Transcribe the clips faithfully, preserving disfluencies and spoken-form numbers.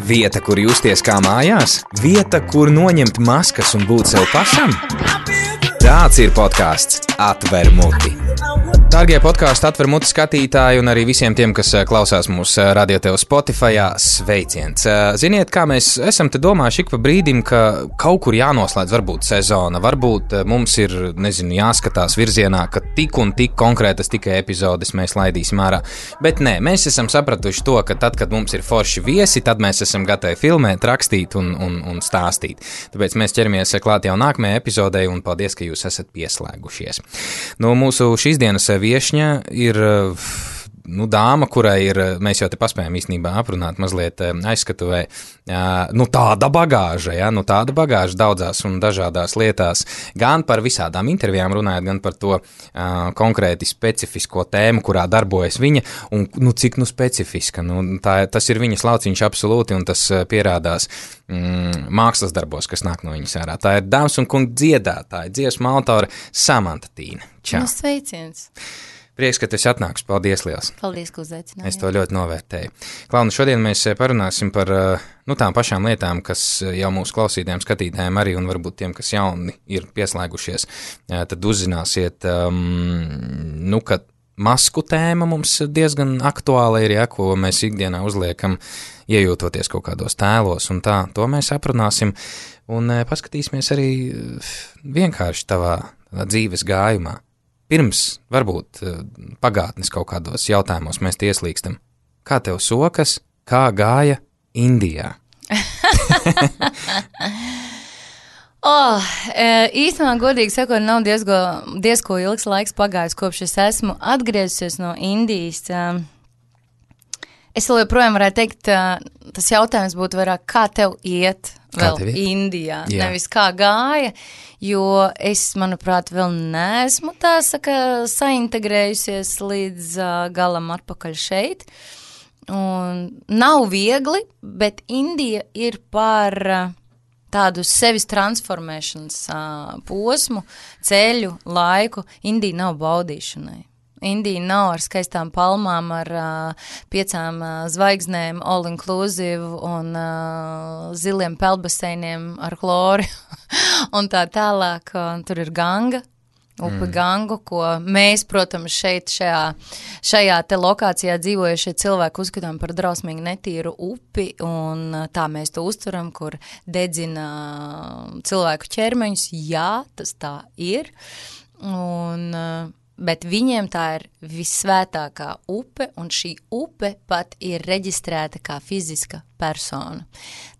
Vieta, kur justies kā mājās? Vieta, kur noņemt maskas un būt sev pašam? Tāds ir podcasts Atver muti. Dārgie podkāstu Atver muti skatītāji un arī visiem tiem, kas klausās mūsu Radio Tev Spotifyā, sveiciens. Ziniet, kā mēs esam te domājuši ik pa brīdim, ka kaut kur jānoslēdz varbūt sezona, varbūt mums ir, nezinu, jāskatās virzienā, ka tik un tik konkrētas tikai epizodes mēs laidīsim ārā. Bet nē, mēs esam sapratuši to, ka tad, kad mums ir forši viesi, tad mēs esam gatavi filmēt, rakstīt un, un, un stāstīt. Tāpēc mēs ķeramies klāt jau nākamajai epizodei un paldies, ka jūs esat pieslēgušies. Nu, mūsu šīs dienas viešņa ir nu, dāma, kurai ir, mēs jau te paspējam īstenībā aprunāt mazliet aizskatuvē, nu tāda bagāža, ja, nu tāda bagāža daudzās un dažādās lietās, gan par visādām intervijām runājot, gan par to uh, konkrēti specifisko tēmu, kurā darbojas viņa, un nu cik nu specifiska, nu tā, tas ir viņas lauciņš absolūti, un tas pierādās mm, mākslas darbos, kas nāk no viņas ārā. Tā ir dāmas un kungi dziedātāja, dziesmu autore Samanta Tīne. Čau. Nu, sveiciens. Prieks, ka tu esi atnāks. Paldies liels. Paldies, ka uzaicinājāt. Es to ļoti novērtēju. Klaunu, šodien mēs parunāsim par nu, tām pašām lietām, kas jau mūsu klausītājiem, skatītājiem arī un varbūt tiem, kas jauni ir pieslēgušies, tad uzzināsiet, um, nu, ka masku tēma mums diezgan aktuāla ir, ja, ko mēs ikdienā uzliekam, iejūtoties kaut kādos tēlos un tā. To mēs aprunāsim un paskatīsimies arī vienkārši tavā dzīves gājumā. Pirms, varbūt, pagātnes kaut kādos jautājumos mēs ieslīgstam. Kā tev sokas, kā gāja Indijā? oh, īstenībā, godīgi sakot, nav diezgo, diezko ilgs laiks pagājis, kopš es esmu atgriezusies no Indijas. Es vēl joprojām varētu teikt, tas jautājums būtu vairāk, kā tev iet vēl Indijā, Jā. Nevis kā gāja, jo es, manuprāt, vēl neesmu tā saka saintegrējusies līdz uh, galam atpakaļ šeit. Un nav viegli, bet Indija ir par uh, tādu sevis transformēšanas uh, posmu, ceļu, laiku. Indija nav baudīšanai. Indija nav ar skaistām palmām, ar uh, piecām uh, zvaigznēm, all inclusive un uh, ziliem peldbaseiniem ar chlori un tā tālāk. Uh, tur ir Ganga, upe mm. Gangu, ko mēs, protams, šeit šajā, šajā te lokācijā dzīvojušie cilvēki uzskatām par drausmīgi netīru upi, un uh, tā mēs to uzturam, kur dedzina uh, cilvēku ķermeņus. Jā, tas tā ir. Un... Uh, Bet viņiem tā ir vissvētākā upe, un šī upe pat ir reģistrēta kā fiziska persona.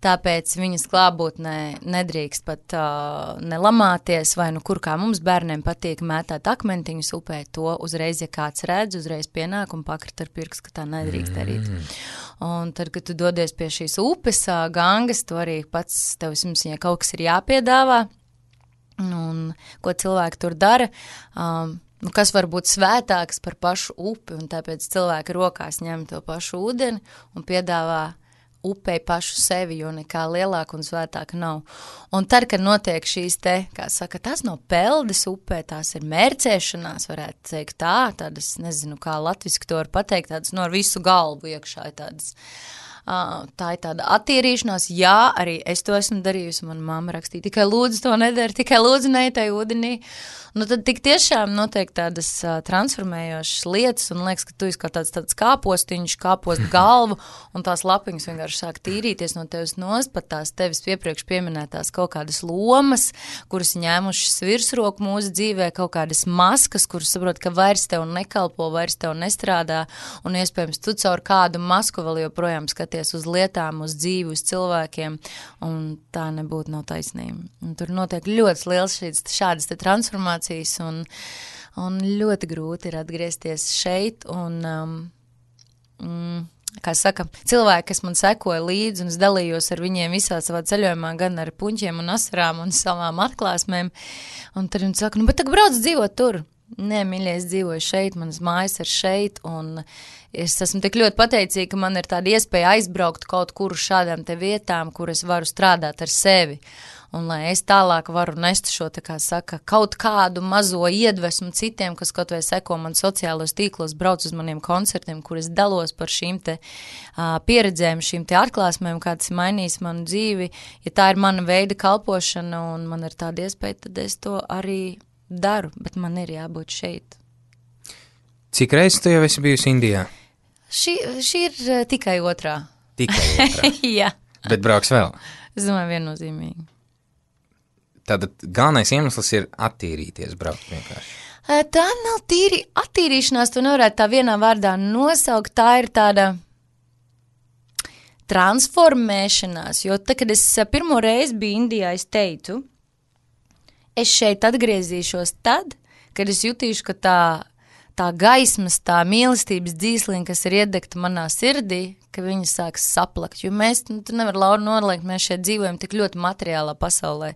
Tāpēc viņas klātbūtnē nedrīkst pat uh, nelamāties, vai nu kur kā mums bērniem patīk mētāt akmentiņus upē, to uzreiz, ja kāds redz, uzreiz pienāk un pakrit ar pirkstu, ka tā nedrīkst darīt. Mm. Un tad, kad tu dodies pie šīs upes, uh, Gangas, to arī pats tev vismaz, ja kaut kas ir jāpiedāvā, un ko cilvēki tur dara, um, nu, kas var būt svētāks par pašu upi, un tāpēc cilvēki rokās ņem to pašu ūdeni un piedāvā upei pašu sevi, jo nekā lielāka un svētāka nav. Un tad, kad notiek šīs te, kā saka, tās nav peldes upē, tās ir mērcēšanās, varētu teikt tā, tādas, nezinu, kā latviski to var pateikt, tādas no ar visu galvu iekšā, tādas. Uh, tā ir tāda attīrīšanās, jā, arī es to esmu darījusi, man mamma rakstīja, tikai lūdzu to nedara, tikai lūdzu neitai ūdenī. Nu tad tik tiešām notiek tādas uh, transformējošas lietas, un liekas, ka tu esi kā tāds, tāds kāpostiņš, kāpost galvu, un tās lapiņas vienkārši sāk tīrīties no tevis nost, pat tās tevis piepriekš pieminētās kaut kādas lomas, kuras ņēmušas virsroku mūsu dzīvē, kaut kādas maskas, kuras saprot, ka vairs tev nekalpo, vairs tev nestrādā, un iespējams tu caur kādu masku vēl joprojām skaties uz lietām, uz dzīvi, uz cilvēkiem, un tā nebūtu nav taisnība. Un tur notiek ļoti liels šīs, šādas te transformācijas, un, un ļoti grūti ir atgriezties šeit, un, um, mm, kā saka, cilvēki, kas man sekoja līdzi, un es dalījos ar viņiem visā savā ceļojumā, gan ar puņķiem un asarām un savām atklāsmēm, un tad viņi saka, nu, bet tagad brauc dzīvot tur. Nē, mīļie, es dzīvoju šeit, manas mājas ir šeit, un es esmu tik ļoti pateicīga, ka man ir tāda iespēja aizbraukt kaut kur uz šādām te vietām, kur es varu strādāt ar sevi. un lai es tālāk varu nest šo, tā kā saka, kaut kādu mazo iedvesmu citiem, kas kaut vai seko man sociālos tīklos, brauc uz maniem koncertiem, kur es dalos par šīm te uh, pieredzēm, šīm te atklāsmēm, kā tas mainīs manu dzīvi. Ja tā ir mana veida kalpošana un man ir tāda iespēja, tad es to arī daru, bet man ir jābūt šeit. Cik reizes tu jau esi bijusi Indijā? Šī, šī ir uh, tikai otrā. Tikai otrā? Jā. Bet brauks vēl? Es domāju, viennozīmīgi. Tātad galvenais iemesls ir attīrīties, braukt vienkārši. Tā nav tīri attīrīšanās, to nevarētu tā vienā vārdā nosaukt, tā ir tāda transformēšanās, jo tā, kad es pirmo reizi biju Indijā, es teicu, es šeit atgriezīšos tad, kad es jutīšu, ka tā, tā gaismas, tā mīlestības dzīsliņa, kas ir iedegta manā sirdī, ka viņi sāks saplakt, jo mēs, nu, tu nevar Laura noliekt, mēs šeit dzīvojam tik ļoti materiālā pasaulē,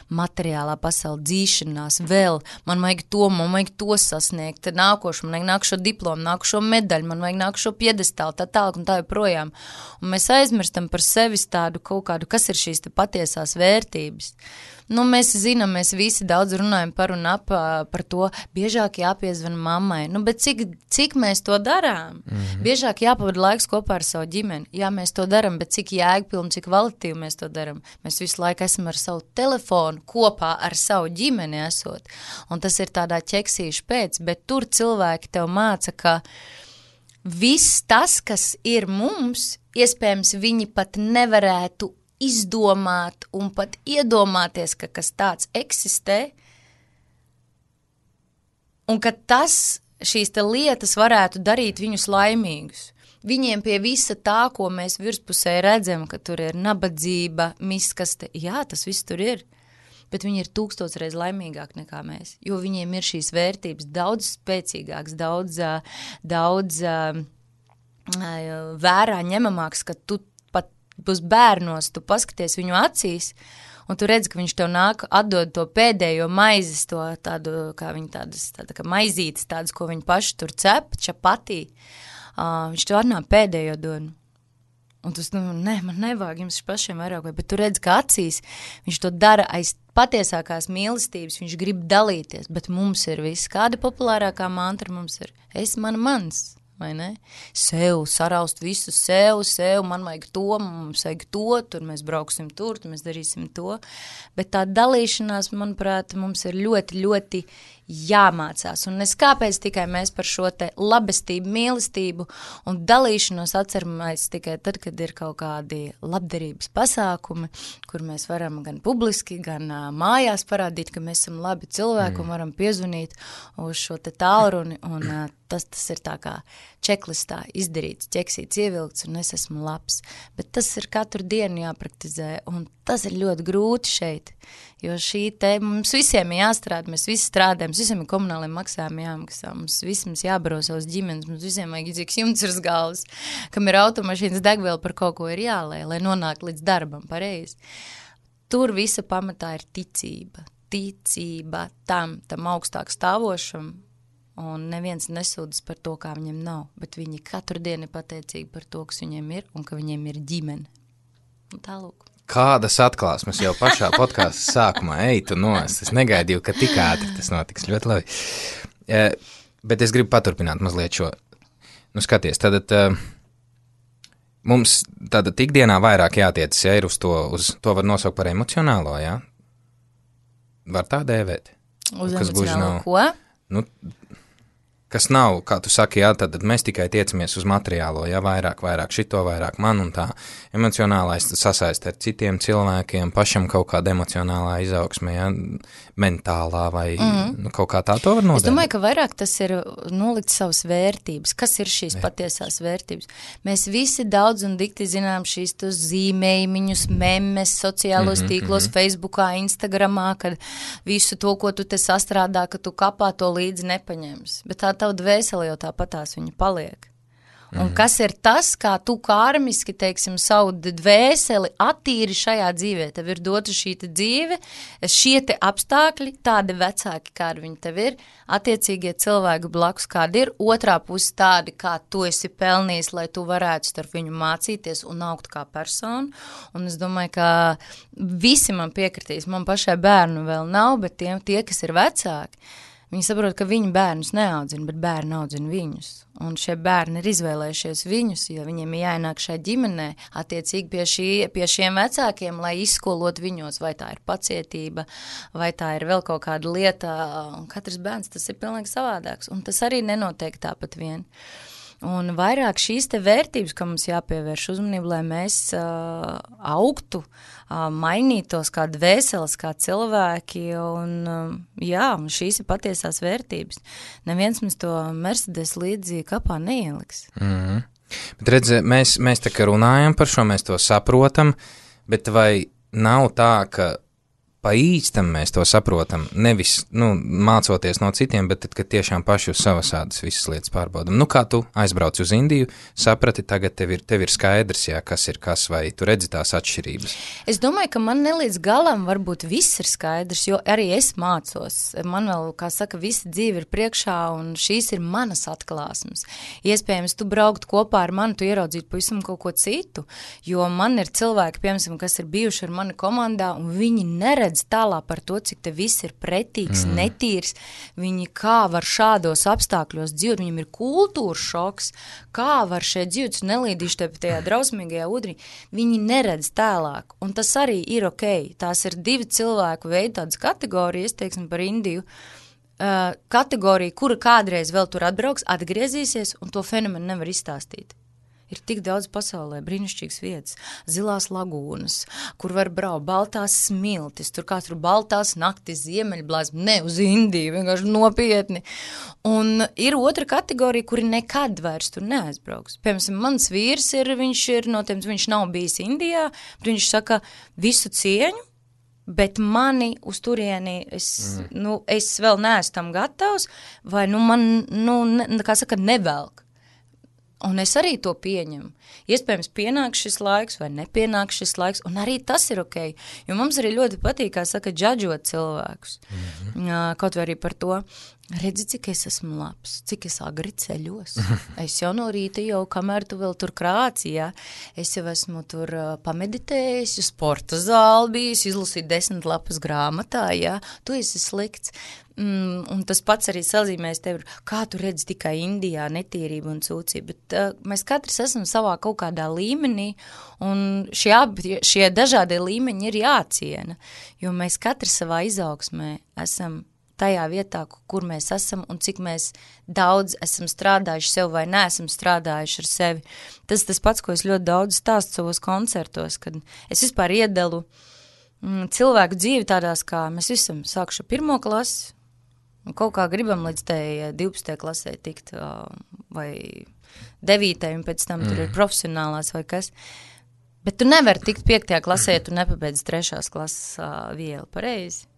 materiālā pasaule dzīšanās vēl, man vajag to, man vajag to sasniegt, tad nākošu, man vajag nākušo diplomu, nākušo medaļu, man vajag nākušo piedestālu, tā tālāk un tā joprojām, un mēs aizmirstam par sevis tādu kaut kādu, kas ir šīs te patiesās vērtības. Nu, mēs zinām, mēs visi daudz runājam par un ap par to, biežāk jāpiezvan mammai, nu, bet cik, cik mēs to darām? Mm-hmm. Biežāk jāpavada laiks kopā ar savu ģimeni, jā, mēs to daram, bet cik jēgpilni, cik kvalitīvi mēs to daram? Mēs visu laiku esam ar savu telefonu kopā ar savu ģimeni esot, un tas ir tādā ķeksīšu pēc, bet tur cilvēki tev māca, ka viss tas, kas ir mums, iespējams, viņi pat nevarētu izdomāt un pat iedomāties, ka kas tāds eksistē, un ka tas, šīs te lietas varētu darīt viņus laimīgus. Viņiem pie visa tā, ko mēs virspusē redzam, ka tur ir nabadzība, miskaste, jā, tas viss tur ir, bet viņi ir tūkstošreiz laimīgāk nekā mēs, jo viņiem ir šīs vērtības daudz spēcīgāks, daudz, daudz vērā ņemamāks, ka tu būs bērnos, tu paskaties viņu acīs, un tu redzi, ka viņš tev nāk, atdod to pēdējo maizes, to tādu, kā viņi tādas, tāda kā maizītes, tādas, ko viņi paši tur cep, čapatī, uh, viņš tev atnāk pēdējo dod. Un tu, nu, ne, man nevajag jums pašiem vairāk, bet tu redzi, ka acīs viņš to dara aiz patiesākās mīlestības, viņš grib dalīties, bet mums ir viss. Kāda populārākā mantra mums ir? Es, man, mans. Vai ne? Sev, saraust visu sev, sev, man vajag to, mums vajag to, tur mēs brauksim tur, tur mēs darīsim to, bet tā dalīšanās, manuprāt, mums ir ļoti, ļoti jāmācās, un es kāpēc tikai mēs par šo te labestību, mīlestību un dalīšanos atceramies tikai tad, kad ir kaut kādi labdarības pasākumi, kur mēs varam gan publiski, gan uh, mājās parādīt, ka mēs esam labi cilvēki mm. un varam piezvanīt uz šo te tālruni, un uh, tas, tas ir tā kā čeklistā izdarīts, ķeksīts, ievilkts, un es esmu labs, bet tas ir katru dienu jāpraktizē, un tas ir ļoti grūti šeit, jo šī te, mums visiem ir jāstrādā, mēs visi strādājam, mums visiem ir komunāliem maksājumi jāmaksā, mums visiem jābaro savas ģimenes, mums visiem vajag idzīgs jumts uz galvas, kam ir automašīnas degviela, par kaut ko ir jālē, lai nonāk līdz darbam pareizi. Tur visa pamatā ir ticība, ticība tam, tam augstāk stāvošam, un neviens nesūdas par to, kā viņiem nav, bet viņi katru dienu ir pateicīgi par to, kas viņiem ir, un ka viņiem ir ģimene. Un tālūk. Kādas atklāsmes jau pašā podkāsta sākumā, ej tu nost, es negaidīju, ka tik ātri tas notiks, ļoti labi. E, bet es gribu paturpināt mazliet šo, nu skaties, tad uh, mums tāda ikdienā vairāk jātiecas, ja ir uz to, uz to var nosaukt par emocionālo, ja? Var tā dēvēt? Uz emocionālo ko? Nu, kas nav, kā tu saki, jā, tad mēs tikai tiecamies uz materiālo, jā, vairāk, vairāk šito, vairāk man un tā. Emocionālais sasaist ar citiem cilvēkiem, pašam kaut kāda emocionālā izaugsme, jā, mentālā vai mm-hmm. nu, kaut kā tā to var nodēt. Es domāju, ka vairāk tas ir nolikt savas vērtības. Kas ir šīs Vērt. patiesās vērtības? Mēs visi daudz un dikti zinām šīs tos zīmējumiņus, memes, sociālos mm-hmm, tīklos, mm-hmm. Facebookā, Instagramā, kad visu to, ko tu te sastrādā, ka tu kapā to līdzi nepaņems. Bet tā tava dvēsele jau tāpatās viņa paliek. Un mm. kas ir tas, kā tu karmiski, teiksim, savu dvēseli attīri šajā dzīvē. Tev ir dota šī te dzīve, šie te apstākļi, tādi vecāki, kādi viņi tev ir, attiecīgie cilvēki blakus, kādi ir, otrā puse tādi, kā tu esi pelnījis, lai tu varētu starp viņu mācīties un augt kā personu. Un es domāju, ka visi man piekritīs, man pašai bērnu vēl nav, bet tie, tie kas ir vecāki, viņi saprot, ka viņi bērnus neaudzina, bet bērni audzina viņus. Un šie bērni ir izvēlējušies viņus, jo viņiem ir jāienāk šai ģimenē, attiecīgi pie, šī, pie šiem vecākiem, lai izskolot viņos, vai tā ir pacietība, vai tā ir vēl kaut kāda lieta. Un katrs bērns tas ir pilnīgi savādāks, un tas arī nenotiek tāpat vien. Un vairāk šīs te vērtības, ka mums jāpievērš uzmanību, lai mēs uh, augtu, uh, mainītos kā dvēseles, kā cilvēki, un uh, jā, un šīs ir patiesās vērtības. Neviens mums to Mercedes līdzi kapā neieliks. Mm-hmm. Bet redz, mēs, mēs tā kā runājam par šo, mēs to saprotam, bet vai nav tā, ka pa īstam mēs to saprotam, nevis, nu, mācoties no citiem, bet tad, kad tiešām paši uz savas ādas visas lietas pārbaudam. Nu, kā tu aizbrauc uz Indiju, saprati, tagad tev ir, tev ir skaidrs, jā, kas ir kas, vai tu redzi tās atšķirības? Es domāju, ka man nelīdz galam varbūt viss ir skaidrs, jo arī es mācos. Man vēl, kā saka, visa dzīve ir priekšā, un šīs ir manas atklāsmes. Iespējams, tu braukt kopā ar mani, tu ieraudzītu pavisam kaut ko citu, jo man ir cilvēki, piemēram, kas ir bijuši ar mani komandā, un viņi neredz tālāk par to, cik te viss ir pretīgs, mm. netīrs, viņi kā var šādos apstākļos dzīvot, viņam ir kultūras šoks, kā var šeit dzīvot, nelīdīši te tajā drausmīgajā ūdenī, viņi neredz tālāk, un tas arī ir ok, tās ir divi cilvēku veidi, tādas kategorijas, teiksim par Indiju, uh, kategorija, kura kādreiz vēl tur atbrauks, atgriezīsies, un to fenomenu nevar izstāstīt. Ir tik daudz pasaulē brīnišķīgas vietas, zilās lagūnas, kur var braukt, baltās smiltis, tur kā tur baltās naktis, ziemeļblāzma, ne uz Indiju, vienkārši nopietni. Un ir otra kategorija, kuri nekad vairs tur neaizbrauks. Piemēram, mans vīrs ir, viņš ir no tiem, viņš nav bijis Indijā, bet viņš saka visu cieņu, bet mani uz turieni, es, mm. nu, es vēl neesmu tam gatavs, vai nu man, nu, ne, kā saka, nevelk. Un es arī to pieņemu. Iespējams, pienāk šis laiks vai nepienāk šis laiks, un arī tas ir ok. Jo mums arī ļoti patīk, kā saka, džadžot cilvēkus. Mm-hmm. Kaut vai arī par to, redzi, cik es esmu labs, cik es agri ceļos. Es jau no rīta jau, kamēr tu vēl tur krāci, ja? Es jau esmu tur uh, pameditējis, sporta zāli bijis, izlasīt desmit lapas grāmatā, ja? Tu esi slikts. Mm, un tas pats arī sazīmēs tevi, kā tu redzi tikai Indijā netīrību un sūcību, bet uh, mēs katrs esam savā kaut kādā līmenī, un šie, šie dažādie līmeņi ir jāciena, jo mēs katrs savā izaugsmē esam tajā vietā, kur mēs esam un cik mēs daudz esam strādājuši sev vai neesam strādājuši ar sevi. Tas tas pats, ko es ļoti daudz stāstu savos koncertos, kad es vispār iedalu mm, cilvēku dzīvi tādās, kā mēs visam sākuši pirmo klasi, un kaut kā gribam līdz tai divpadsmitajai klasē tikt, vai devītai, un pēc tam mm. tur ir profesionālās vai kas. Bet tu nevari tikt piektajā klasē, ja tu nepabeidz trešās klases uh, vielu, pareizi.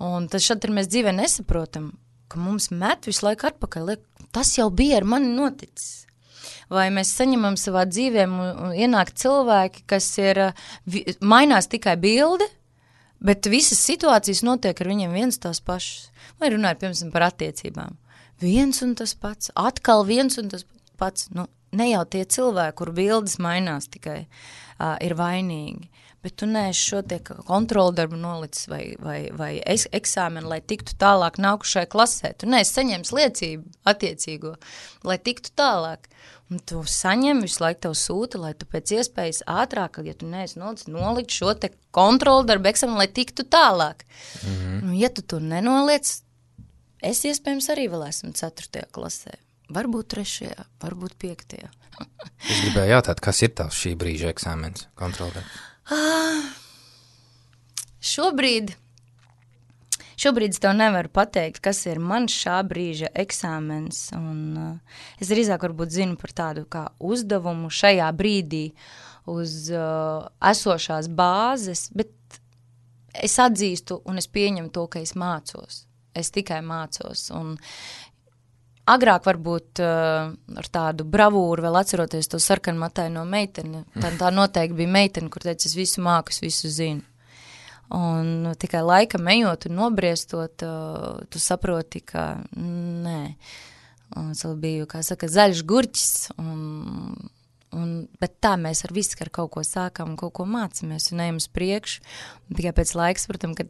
Un tas šad mēs dzīvē nesaprotam, ka mums met visu laiku atpakaļ, liek, tas jau bija ar mani noticis. Vai mēs saņemam savā dzīvēm un, un ienāk cilvēki, kas ir, vi, mainās tikai bilde, bet visas situācijas notiek ar viņiem viens tās pašas. Vai runājot, piemēram, par attiecībām. Viens un tas pats, atkal viens un tas pats. Nu, ne jau tie cilvēki, kur bildes mainās tikai, uh, ir vainīgi. Bet tu neesi šo tie kontroldarbu nolicis vai, vai, vai es, eksāmenu, lai tiktu tālāk nākušai klasē. Tu neesi saņems liecību attiecīgo, lai tiktu tālāk. Un tu saņem, visu laiku tev sūta, lai tu pēc iespējas ātrāk, ja tu neesi nolicis, nolikt šo te kontroldarbu eksāmenu, lai tiktu tālāk. Mm-hmm. Un, ja tu to nenoliec, es iespējams arī vēl esmu ceturtajā klasē. Varbūt trešajā, varbūt piektajā. Es gribēju jautāt, kas ir tavs šī brīža eksāmens kontroldarbu? Ah, šobrīd, šobrīd es tev nevaru pateikt, kas ir man šā brīža eksāmens, un uh, es drīzāk varbūt zinu par tādu kā uzdevumu šajā brīdī uz uh, esošās bāzes, bet es atzīstu un es pieņemu to, ka es mācos. Es tikai mācos, un agrāk varbūt uh, ar tādu bravūru vēl atceroties to sarkanmataino meiteni. Tā, tā noteikti bija meitene, kur teica, es visu māku, es visu zinu. Un tikai laikam ejot un nobriestot, uh, tu saproti, ka nē. Un es vēl biju, kā saka, zaļš gurķis, un, un, bet tā mēs ar visu ar kaut ko sākam un kaut ko mācamies un ejam uz priekšu. Un tikai pēc laiks, protams, ka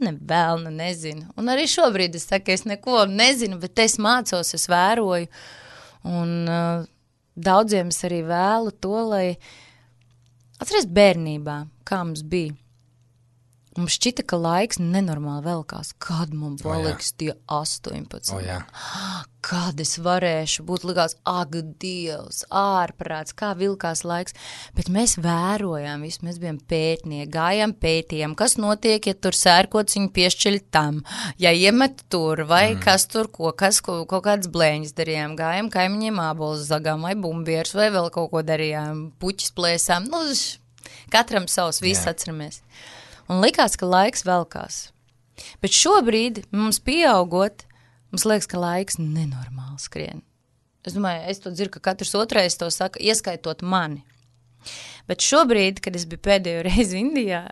ne vēl, ne nezinu. Un arī šobrīd es saku, es neko nezinu, bet es mācos, es vēroju. Un uh, daudziem es arī vēlu to, lai atceries bērnībā, kā mums bija. Mums šķita, ka laiks nenormāli velkās. Kad mums paliks oh, tie astoņpadsmit? Oh, jā. Kad es varēšu būt likās, ak, Dievs, ārprāts, kā vilkās laiks. Bet mēs vērojām visu, mēs bijām pētnieki, gājām pētījām, kas notiek, ja tur sērkociņu piešķiļ tam, ja iemet tur, vai mm. kas tur ko, kas ko, kaut kādas blēņas darījām, gājām kaimiņiem ābolus zagām, vai bumbieris, vai vēl kaut ko darījām, puķis plēsām, nu, katram savs, viss yeah. atceramies. Un likās, ka laiks velkās. Bet šobrīd mums pieaugot, mums liekas, ka laiks nenormāli skrien. Es domāju, es to dzirdu, ka katrs otrais to saka, ieskaitot mani. Bet šobrīd, kad es biju pēdējo reizi Indijā,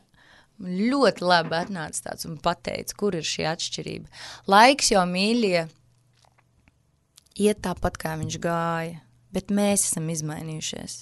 ļoti labi atnāca tāds un pateica, kur ir šī atšķirība. Laiks jau mīļie iet tāpat, kā viņš gāja, bet mēs esam izmainījušies.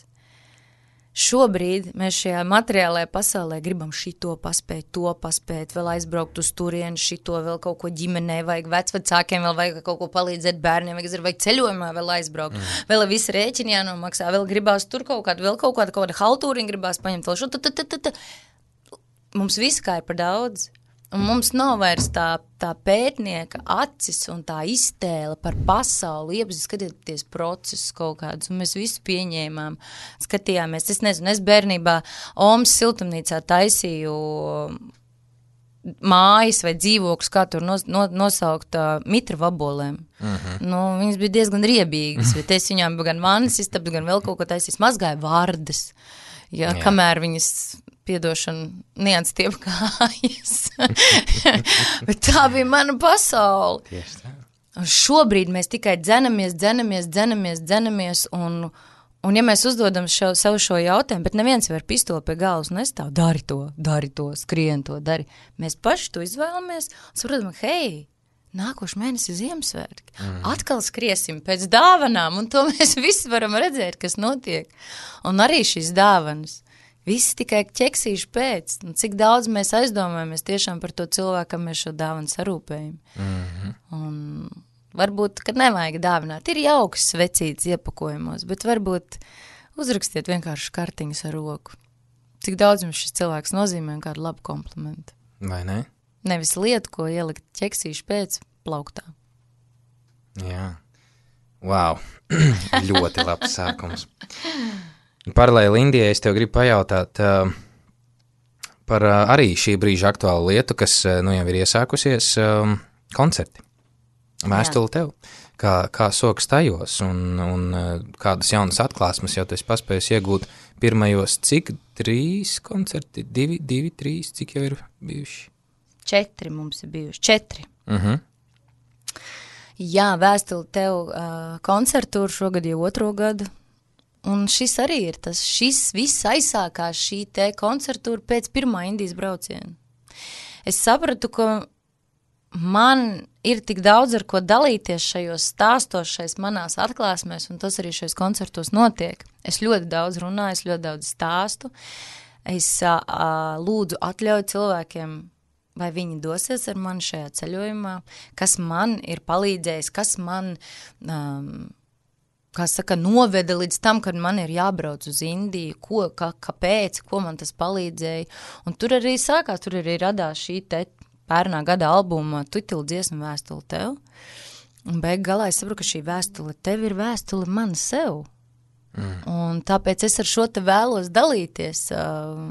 Šobrīd mēs šajā materiālajā pasaulē gribam šito paspēt, to paspēt, vēl aizbraukt uz turienu, šito vēl kaut ko ģimenē, vajag vecvecākiem, vēl vajag kaut ko palīdzēt bērniem, vajag, vajag ceļojumā vēl aizbraukt, mm. vēl visi rēķini jānomaksā, vēl gribās tur kaut kādu, vēl kaut kādu, kaut kādu haltūriņu gribās paņemt, vēl šo, t, t, t, t, t. Mums viss kā ir par daudz. Un mums nav vairs tā, tā pētnieka acis un tā iztēle par pasauli, iepazīst, skatieties procesus kaut kādus, un mēs visu pieņēmām, skatījāmies. Es nezinu, es bērnībā Omas siltumnīcā taisīju mājas vai dzīvokļus, kā tur nos, no, nosaukt uh, mitra vabolēm. Uh-huh. Nu, viņas bija diezgan riebīgas, bet es viņām gan manis istabs, gan vēl kaut ko taisīs, mazgāju vārdas, ja, Jā. kamēr viņas... piedošana nians tiep kājas. Bet tā bija mana pasaule. Tieši tā. Un šobrīd mēs tikai dzenamies, dzenamies, dzenamies, dzenamies, un, un ja mēs uzdodam šo, savu šo jautājumu, bet neviens var pistoli pie galvas, un es tā, dari to, dari to, skrien to, dari. Mēs paši to izvēlamies, un saprotam, hei, nākošu mēnesi Ziemassvētki. Mm. Atkal skriesim pēc dāvanām, un to mēs visi varam redzēt, kas notiek. Un arī šīs dāvanas. Visi tikai ķeksīši pēc. Un cik daudz mēs aizdomājamies tiešām par to cilvēku, kam mēs šo dāvanu sarūpējam. Mm-hmm. Un varbūt, kad nevajag dāvināt, ir jauks svecīts iepakojumos, bet varbūt uzrakstiet vienkārši kartiņas ar roku. Cik daudz jums šis cilvēks nozīmē un kādu labu komplimentu. Vai ne? Nevis lietu, ko ielikt ķeksīši pēc plauktā. Jā. Wow. Ļoti labs sākums. Paralēli Indijai es tev gribu pajautāt uh, par uh, arī šī brīža aktuālu lietu, kas uh, nu jau ir iesākusies um, koncerti. Vēstuli tev, kā, kā sokas tajos un, un uh, kādas jaunas atklāsmes jau tu esi paspējis iegūt pirmajos, cik trīs koncerti, divi, divi, trīs, cik jau ir bijuši? Četri mums ir bijuši, četri. Uh-huh. Jā, vēstuli tev uh, koncertūru šogad jau otro gadu. Un šis arī ir tas, šis viss aizsākās šī te koncertūra pēc pirmā Indijas brauciena. Es sapratu, ka man ir tik daudz ar ko dalīties šajos stāstos, šais manās atklāsmēs, un tas arī šajos koncertos notiek. Es ļoti daudz runāju, es ļoti daudz stāstu. Es a, a, lūdzu atļauju cilvēkiem, vai viņi dosies ar mani šajā ceļojumā, kas man ir palīdzējis, kas man... Um, kā saka, noveda līdz tam, kad man ir jābrauc uz Indiju, ko, kā, kāpēc, ko man tas palīdzēja. Un tur arī sākās, tur arī radās šī te pērnā gada albuma titula dziesma Vēstule tev. Un beig galā es saprotu, ka šī vēstule tev ir vēstule man sev. Mm. Un tāpēc es ar šo te vēlos dalīties uh,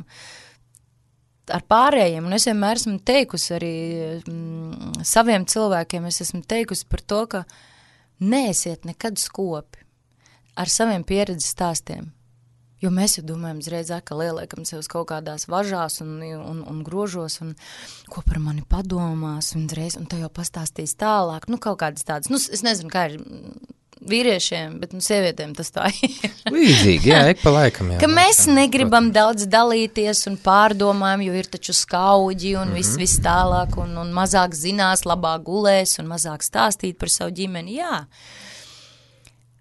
ar pārējiem. Un es vienmēr esmu teikusi arī mm, saviem cilvēkiem, es esmu teikusi par to, ka neesiet nekad skopi ar saviem pieredzes stāstiem. Jo mēs jau domājam uzreiz, ka lieliekam sev uz kaut kādās važās un, un, un grožos, un ko par mani padomās, un reiz, un te jau pastāstīs tālāk. Nu, kaut kādas tādas, nu, es nezinu, kā ir vīriešiem, bet nu, sievietēm tas tā ir. Līdzīgi, jā, ik pa laikam. Jā, ka mēs laikam, negribam protams. daudz dalīties un pārdomājam, jo ir taču skaudži un mm-hmm. viss, viss tālāk, un, un mazāk zinās, labāk gulēs un mazāk stāstīt par savu ģimeni, jā.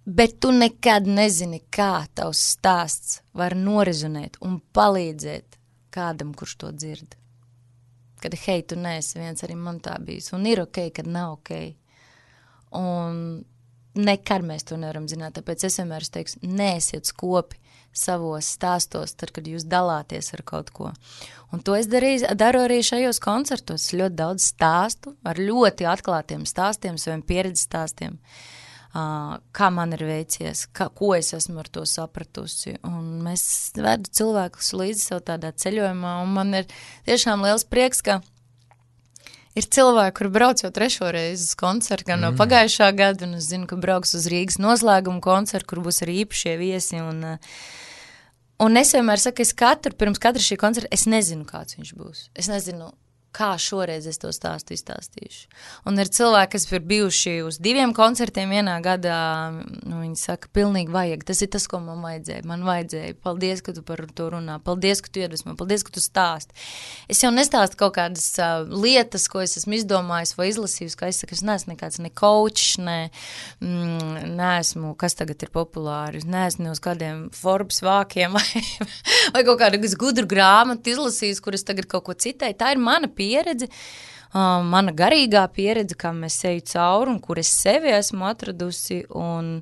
Bet tu nekad nezini, kā tavs stāsts var norezonēt un palīdzēt kādam, kurš to dzird. Kad, hei, tu neesi viens, arī man tā bijis. Un ir ok, kad nav ok. Un nekad mēs to nevaram zināt, tāpēc es vienmēr teikšu, neesiet skopi savos stāstos, tad, kad jūs dalāties ar kaut ko. Un to es darīju, daru arī šajos koncertos. Ļoti daudz stāstu, ar ļoti atklātiem stāstiem, saviem pieredzes stāstiem. Uh, kā man ir veicies, kā, ko es esmu ar to sapratusi. Un mēs vedu cilvēkus līdzi sev tādā ceļojumā, un man ir tiešām liels prieks, ka ir cilvēki, kuri brauc jau trešo reizi uz koncertu, gan mm. no pagājušā gada, un es zinu, ka brauks uz Rīgas noslēguma koncertu, kur būs arī īpašie viesi. Un, un es vienmēr saku, es katru, pirms katra šī koncerta, es nezinu, kāds viņš būs. Es nezinu, kā šoreiz es to stāstu izstāstīšu. Un ir cilvēki, kas ir bijuši uz diviem koncertiem vienā gadā, nu, viņi saka, pilnīgi vajag, tas ir tas, ko man vajadzēja, man vajadzēja, paldies, ka tu par to runā, paldies, ka tu iedvesmo, paldies, ka tu stāsti. Es jau nestāstu kaut kādas uh, lietas, ko es esmu izdomājis vai izlasījis, kā es saku, es neesmu nekāds ne coach, ne, mm, neesmu, kas tagad ir populāri, neesmu ne uz kādiem Forbes vākiem vai, vai kaut kādu gudru grāmatu izlasījis, kur es tagad kaut ko citēju, tā ir mana pieredze. pieredze, uh, mana garīgā pieredze, kā mēs eju cauri un kur es sevi esmu atradusi, un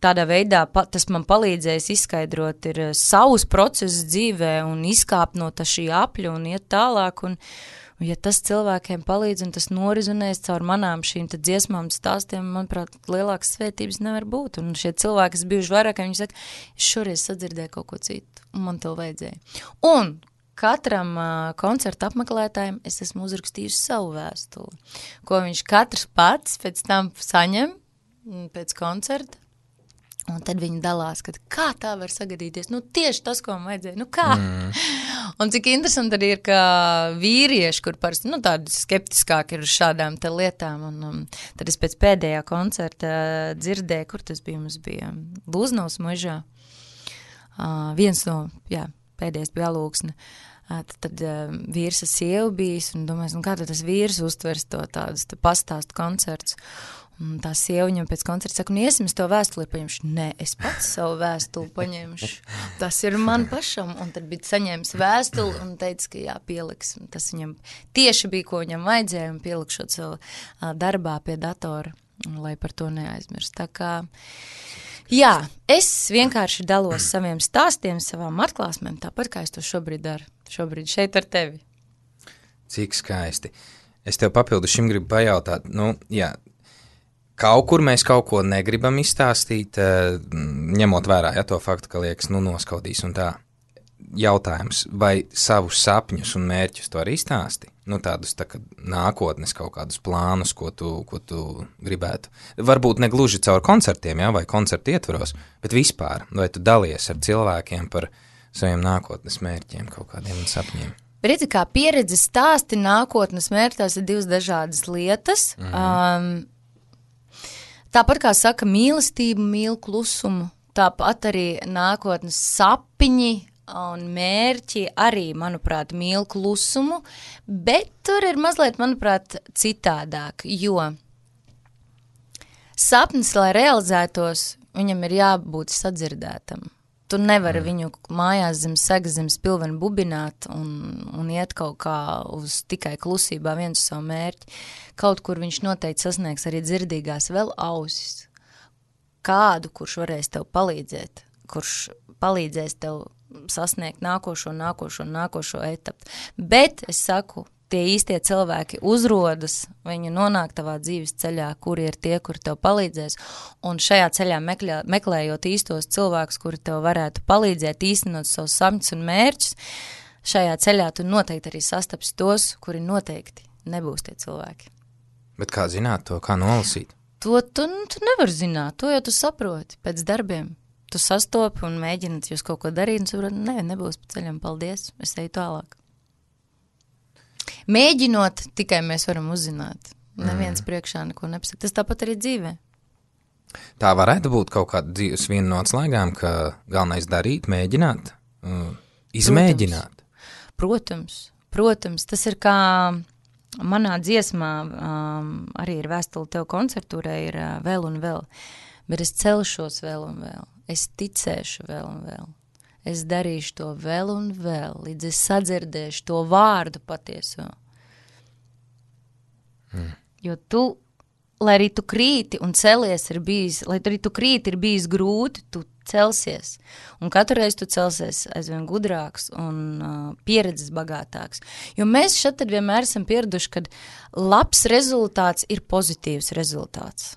tādā veidā pa, tas man palīdzējis izskaidrot ir savus procesus dzīvē un izkāpt no tā šī apļa un iet tālāk, un, un ja tas cilvēkiem palīdz un tas norizonēs caur manām šīm tad dziesmām stāstiem, manuprāt, lielākas svētības nevar būt, un šie cilvēki, kas bijuši vairāk, viņi saka, es šoreiz sadzirdēju kaut ko citu, un man to vajadzēja. Un katram uh, koncerta apmeklētājiem es esmu uzrakstījusi savu vēstuli, ko viņš katrs pats pēc tam saņem pēc koncerta, un tad viņi dalās, kad kā tā var sagadīties, nu tieši tas, ko man vajadzēja, nu kā? Mm. Un cik interesanti arī ir, ka vīrieši, kur parasti, nu tādi skeptiskāki ir uz šādām te lietām, un um, tad es pēc pēdējā koncerta uh, dzirdēju, kur tas bija, mums bija Lūznavas mežā, uh, viens no, jā, pēdējais bija Alūksne. Tad, tad uh, vīrs ar sievu bijis, un domāju, nu kā tad tas vīrs uztvers to tādus te pastāstu koncerts. Un tā sieva viņam pēc koncerta saka, nu iesim es to vēstuli paņemšu. Nē, es pats savu vēstuli paņemšu. Tas ir man pašam. Un tad bija saņēmis vēstuli un teica, ka jā, pieliks. Un tas viņam tieši bija, ko viņam vajadzēja, un pielikšot savu uh, darbā pie datora, lai par to neaizmirst. Tā kā jā, es vienkārši dalos saviem stāstiem, savām atklāsmēm, tāpat kā es to šobrīd daru. Šobrīd šeit ar tevi. Cik skaisti. Es tev papildu šim gribu pajautāt, nu, jā, kaut kur mēs kaut ko negribam izstāstīt, ņemot vērā, ja to faktu, ka liekas, nu, noskaudīs un tā. Jautājums, vai savus sapņus un mērķus to arī izstāsti? Nu, tādus tā kā nākotnes kaut kādus plānus, ko tu, ko tu gribētu. Varbūt ne gluži caur koncertiem, ja, vai koncertu ietvaros, bet vispār, vai tu dalies ar cilvēkiem par saviem nākotnes mērķiem, kaut kādiem sapņiem? Redzi, kā pieredze stāsti nākotnes mērķi, tās ir divas dažādas lietas. Mm-hmm. Um, tāpat kā saka mīlestību, mīl klusumu, tāpat arī nākotnes sapņi un mērķi arī, manuprāt, mīl klusumu, bet tur ir mazliet, manuprāt, citādāk, jo sapnis, lai realizētos, viņam ir jābūt sadzirdētam. Tu nevari mm. viņu mājās zem segas, zem spilvena bubināt un, un iet kaut kā uz tikai klusībā viens uz savu mērķi. Kaut kur viņš noteikti sasniegs arī dzirdīgās vēl ausis. Kādu, kurš varēs tev palīdzēt, kurš palīdzēs tev sasniegt nākošo, nākošo, nākošo etapu. Bet, es saku, tie īstie cilvēki uzrodas, viņi nonāk tavā dzīves ceļā, kuri ir tie, kuri tev palīdzēs, un šajā ceļā meklē, meklējot īstos cilvēkus, kuri tev varētu palīdzēt īstenot savus sapņus un mērķus, šajā ceļā tu noteikti arī sastaps tos, kuri noteikti nebūs tie cilvēki. Bet kā zināt to, kā nolasīt? To tu, tu nevar zināt, to jau tu saproti pēc darbiem. tu sastopi un mēģināt jūs kaut ko darīt, un saprot, ne, nebūs pa ceļam, paldies, es eju tālāk. Mēģinot, tikai mēs varam uzzināt. Neviens mm. priekšā neko nepasaka. Tas tāpat arī dzīvē. Tā varētu būt kaut kāda dzīves viena no atslēgām, ka galvenais darīt, mēģināt, uh, izmēģināt. Protams, protams, protams, tas ir kā manā dziesmā, um, arī ir vēstule tev koncertūrē, ir uh, vēl un vēl, bet es celšos vēl un vēl, es ticēšu vēl un vēl, es darīšu to vēl un vēl, līdz es sadzirdēšu to vārdu patieso. Hmm. Jo tu, lai arī tu krīti un celies ir bijis, lai arī tu krīti ir bijis grūti, tu celsies. Un katru reizi tu celsies aizvien gudrāks un uh, pieredzes bagātāks. Jo mēs šeit tad vienmēr esam pieraduši, kad labs rezultāts ir pozitīvs rezultāts.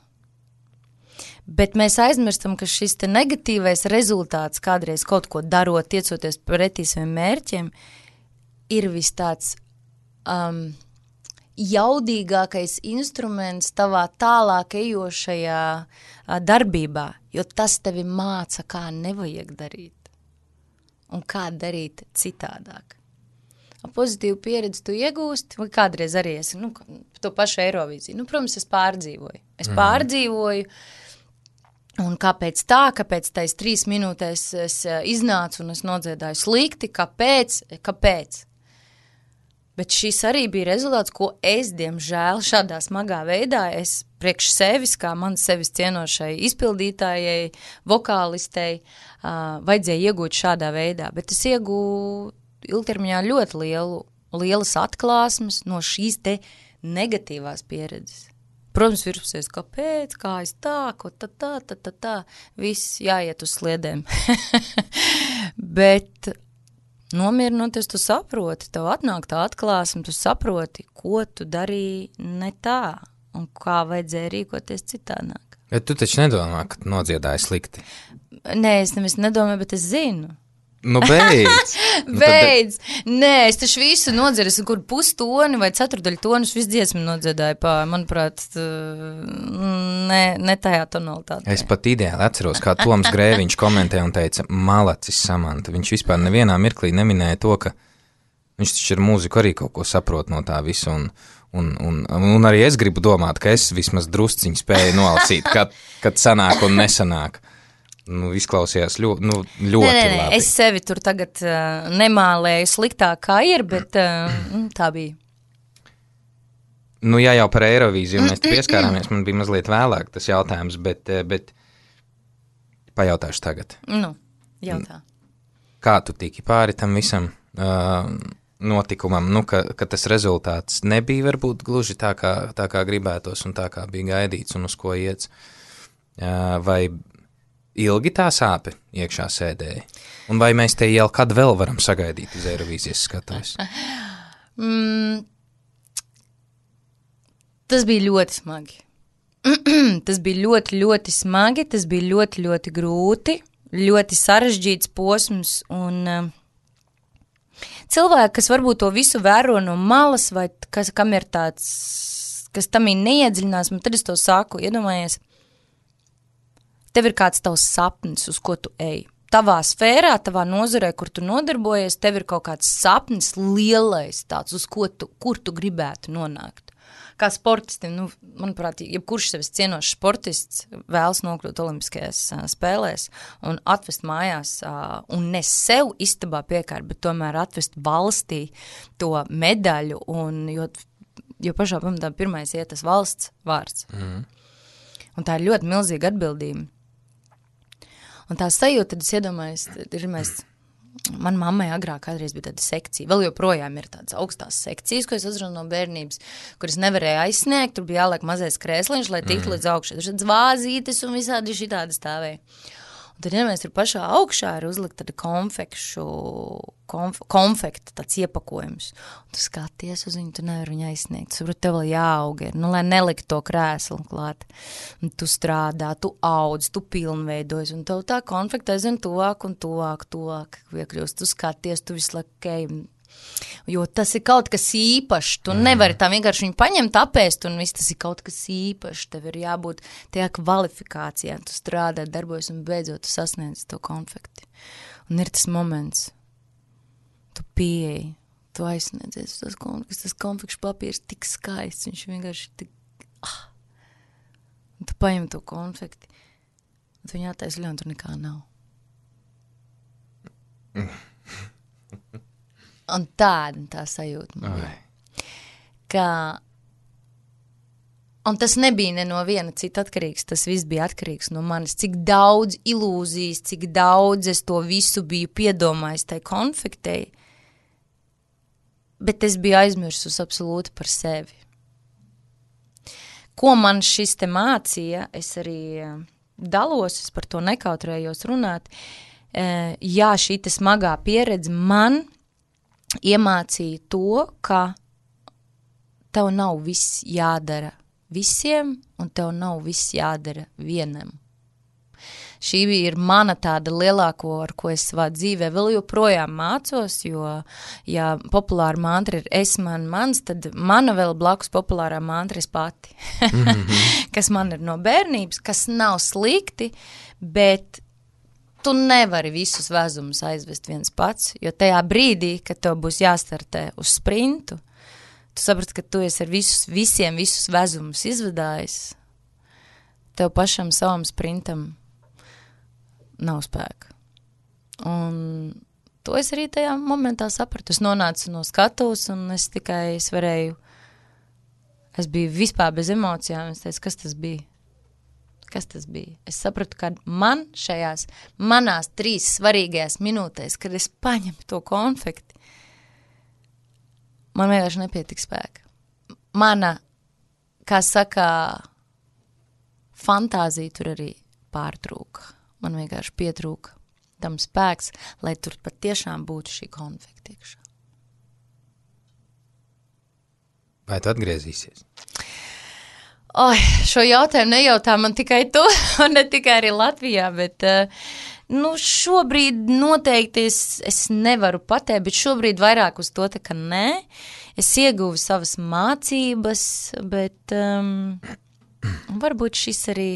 Bet mēs aizmirstam, ka šis te negatīvais rezultāts kādreiz kaut ko darot, tiecoties pretī saviem mērķiem, ir vis tāds um, jaudīgākais instruments tavā tālāk ejošajā darbībā, jo tas tevi māca, kā nevajag darīt un kā darīt citādāk. Pozitīvu pieredzi tu iegūsti, vai kādreiz arī esi, nu, to pašu Eirovīziju. Nu, protams, es pārdzīvoju. Es mm. pārdzīvoju, un kāpēc tā, kāpēc tais trīs minūtēs es iznācu un es nodziedāju slikti, kāpēc, kāpēc? Bet šis arī bija rezultāts, ko es, diemžēl, šādā smagā veidā, es priekš sevis, kā man sevis cienošai izpildītājai, vokālistei, uh, vajadzēja iegūt šādā veidā. Bet es iegūju ilgtermiņā ļoti lielu, lielas atklāsmes no šīs te negatīvās pieredzes. Protams, virpusies, kāpēc, kā es tā, ko tā, tā, tā, tā, tā, viss jāiet uz sliedēm. Bet nomierinoties, tu saproti, tev atnāk tā atklāsme, tu saproti, ko tu darīji ne tā un kā vajadzēja rīkoties citādāk. Bet tu taču nedomā, ka tu nodziedāji slikti? Nē, es nevis nedomāju, bet es zinu. Nu, beidz! nu, beidz! Tad... Nē, es taču visu nodziedu, es kur pustoni vai ceturdaļu tonus visu dziesmu nodziedāju pā, manuprāt, ne, ne tajā tonalitātē. Es pat ideāli atceros, kā Toms Grēviņš komentē un teica, malacis Samanta. Viņš vispār nevienā mirklī neminēja to, ka viņš taču ar mūziku arī kaut ko saprot no tā visu, un, un, un, un arī es gribu domāt, ka es vismaz drusciņu spēju nolasīt, kad, kad sanāk un nesanāk. Nu, izklausījās ļoti, nu, ļoti nē, nē, labi. Es sevi tur tagad uh, nemālēju sliktāk, kā ir, bet uh, tā bija. Nu, ja jau par Eirovīziju mēs te pieskārāmies, man bija mazliet vēlāk tas jautājums, bet, bet pajautāšu tagad. Nu, jautā. Kā tu tiki pāri tam visam uh, notikumam, nu, ka, ka tas rezultāts nebija varbūt gluži tā kā, tā kā gribētos un tā kā bija gaidīts un uz ko iets, uh, vai ilgi tā sāpe iekšā sēdēja? Un vai mēs te jau kad vēl varam sagaidīt uz Eirovīzijas skatuves? mm, tas bija ļoti smagi. tas bija ļoti, ļoti smagi, tas bija ļoti, ļoti grūti, ļoti sarežģīts posms, un uh, cilvēki, kas varbūt to visu vēro no malas, vai kas, kam ir tāds, kas tam ir neiedziļinās, un tad es to saku, iedomājies, tev ir kāds tavs sapnis, uz ko tu ej. Tavā sfērā, tavā nozarē, kur tu nodarbojies, tev ir kaut kāds sapnis lielais tāds, uz ko tu, kur tu gribētu nonākt. Kā sportistim, nu, manuprāt, jebkurš sevis cienošs sportists vēlas nokļūt olimpiskajās uh, spēlēs un atvest mājās, uh, un ne sev istabā piekārt, bet tomēr atvest valstī to medaļu, un, jo, jo pašā pamatā pirmais iet tas valsts vārds. Mm. Un tā ir ļoti milzīga atbildība. Un tā sajūta, tad es iedomājos, ir mēs, man mammai agrāk kādreiz bija tāda sekcija, vēl joprojām ir tādas augstās sekcijas, ko es uzrunu no bērnības, kuras nevarēja aizsniegt, tur bija jāliek mazais krēsliņš, lai tiktu mm. līdz augšai. Tur šādas vāzītes un visādi šitādi stāvēja. Un tad, ja mēs tur pašā augšā ir uzlikt tāda konfekšu, konf, konfekta tāds iepakojums. Un tu skaties uz viņu, tu nevar viņu aizsniegt. Tu saproti, tev vēl jāaug ir, nu, lai nelikt to krēslu klāt. Un tu strādā, tu audz, tu pilnveidojas, un tev tā konfekta aizvien tuvāk un tuvāk, tuvāk iekļūst. Tu skaties, tu visu laiku, okay, Jo tas ir kaut kas īpašs, tu mm. nevari tā vienkārši viņu paņemt, apēst, un viss tas ir kaut kas īpašs, tev ir jābūt tajā kvalifikācijā, tu strādā, darbojas, un beidzot tu sasniedz to konfekti. Un ir tas moments, tu pieeji, tu aizsniedzies tas konfekts, tas konfekšu papīrs tik skaists, viņš vienkārši tik, ah, un tu paņem to konfekti, un tu viņu attaisļo, un tur nekā nav. Un tāda tā sajūta man bija. Ka, un tas nebija ne no viena cita atkarīgs, tas viss bija atkarīgs no manis. Cik daudz ilūzijas, cik daudz es to visu biju piedomājis tai konfektei, bet es biju aizmirsus absolūti par sevi. Ko man šis te mācīja, es arī dalos, es par to nekautrējos runāt. Jā, šī te smagā pieredze man iemācīja to, ka tev nav viss jādara visiem, un tev nav viss jādara vienam. Šī ir mana tāda lielāko, ar ko es savā dzīvē vēl joprojām mācos, jo, ja populāra mantra ir es, man, mans, tad mana vēl blakus populārā mantra ir pati, mm-hmm. kas man ir no bērnības, kas nav slikti, bet tu nevari visus vezumus aizvest viens pats, jo tajā brīdī, kad tev būs jāstartē uz sprintu, tu saprati, ka tu esi ar visus, visiem visus vezumus izvedājis, tev pašam savam sprintam nav spēka. Un to es arī tajā momentā sapratu. Es nonācu no skatuves, un es tikai, es varēju, es biju vispār bez emocijām, es teicu, kas tas bija? Kas tas bija? Es sapratu, ka man šajās manās trīs svarīgajās minūtēs, kad es paņemu to konfekti, man vienkārši nepietika spēka. Mana, kā saka, fantāzija tur arī pārtrūka. Man vienkārši pietrūka tam spēks, lai tur pat tiešām būtu šī konfekta iekšā. Vai tu atgriezīsies? Oi, šo jautājumu nejautā man tikai tu, un ne tikai arī Latvijā, bet uh, nu, šobrīd noteikti es, es nevaru pateikt, bet šobrīd vairāk uz to tā, ka nē. Es ieguvu savas mācības, bet um, varbūt šis arī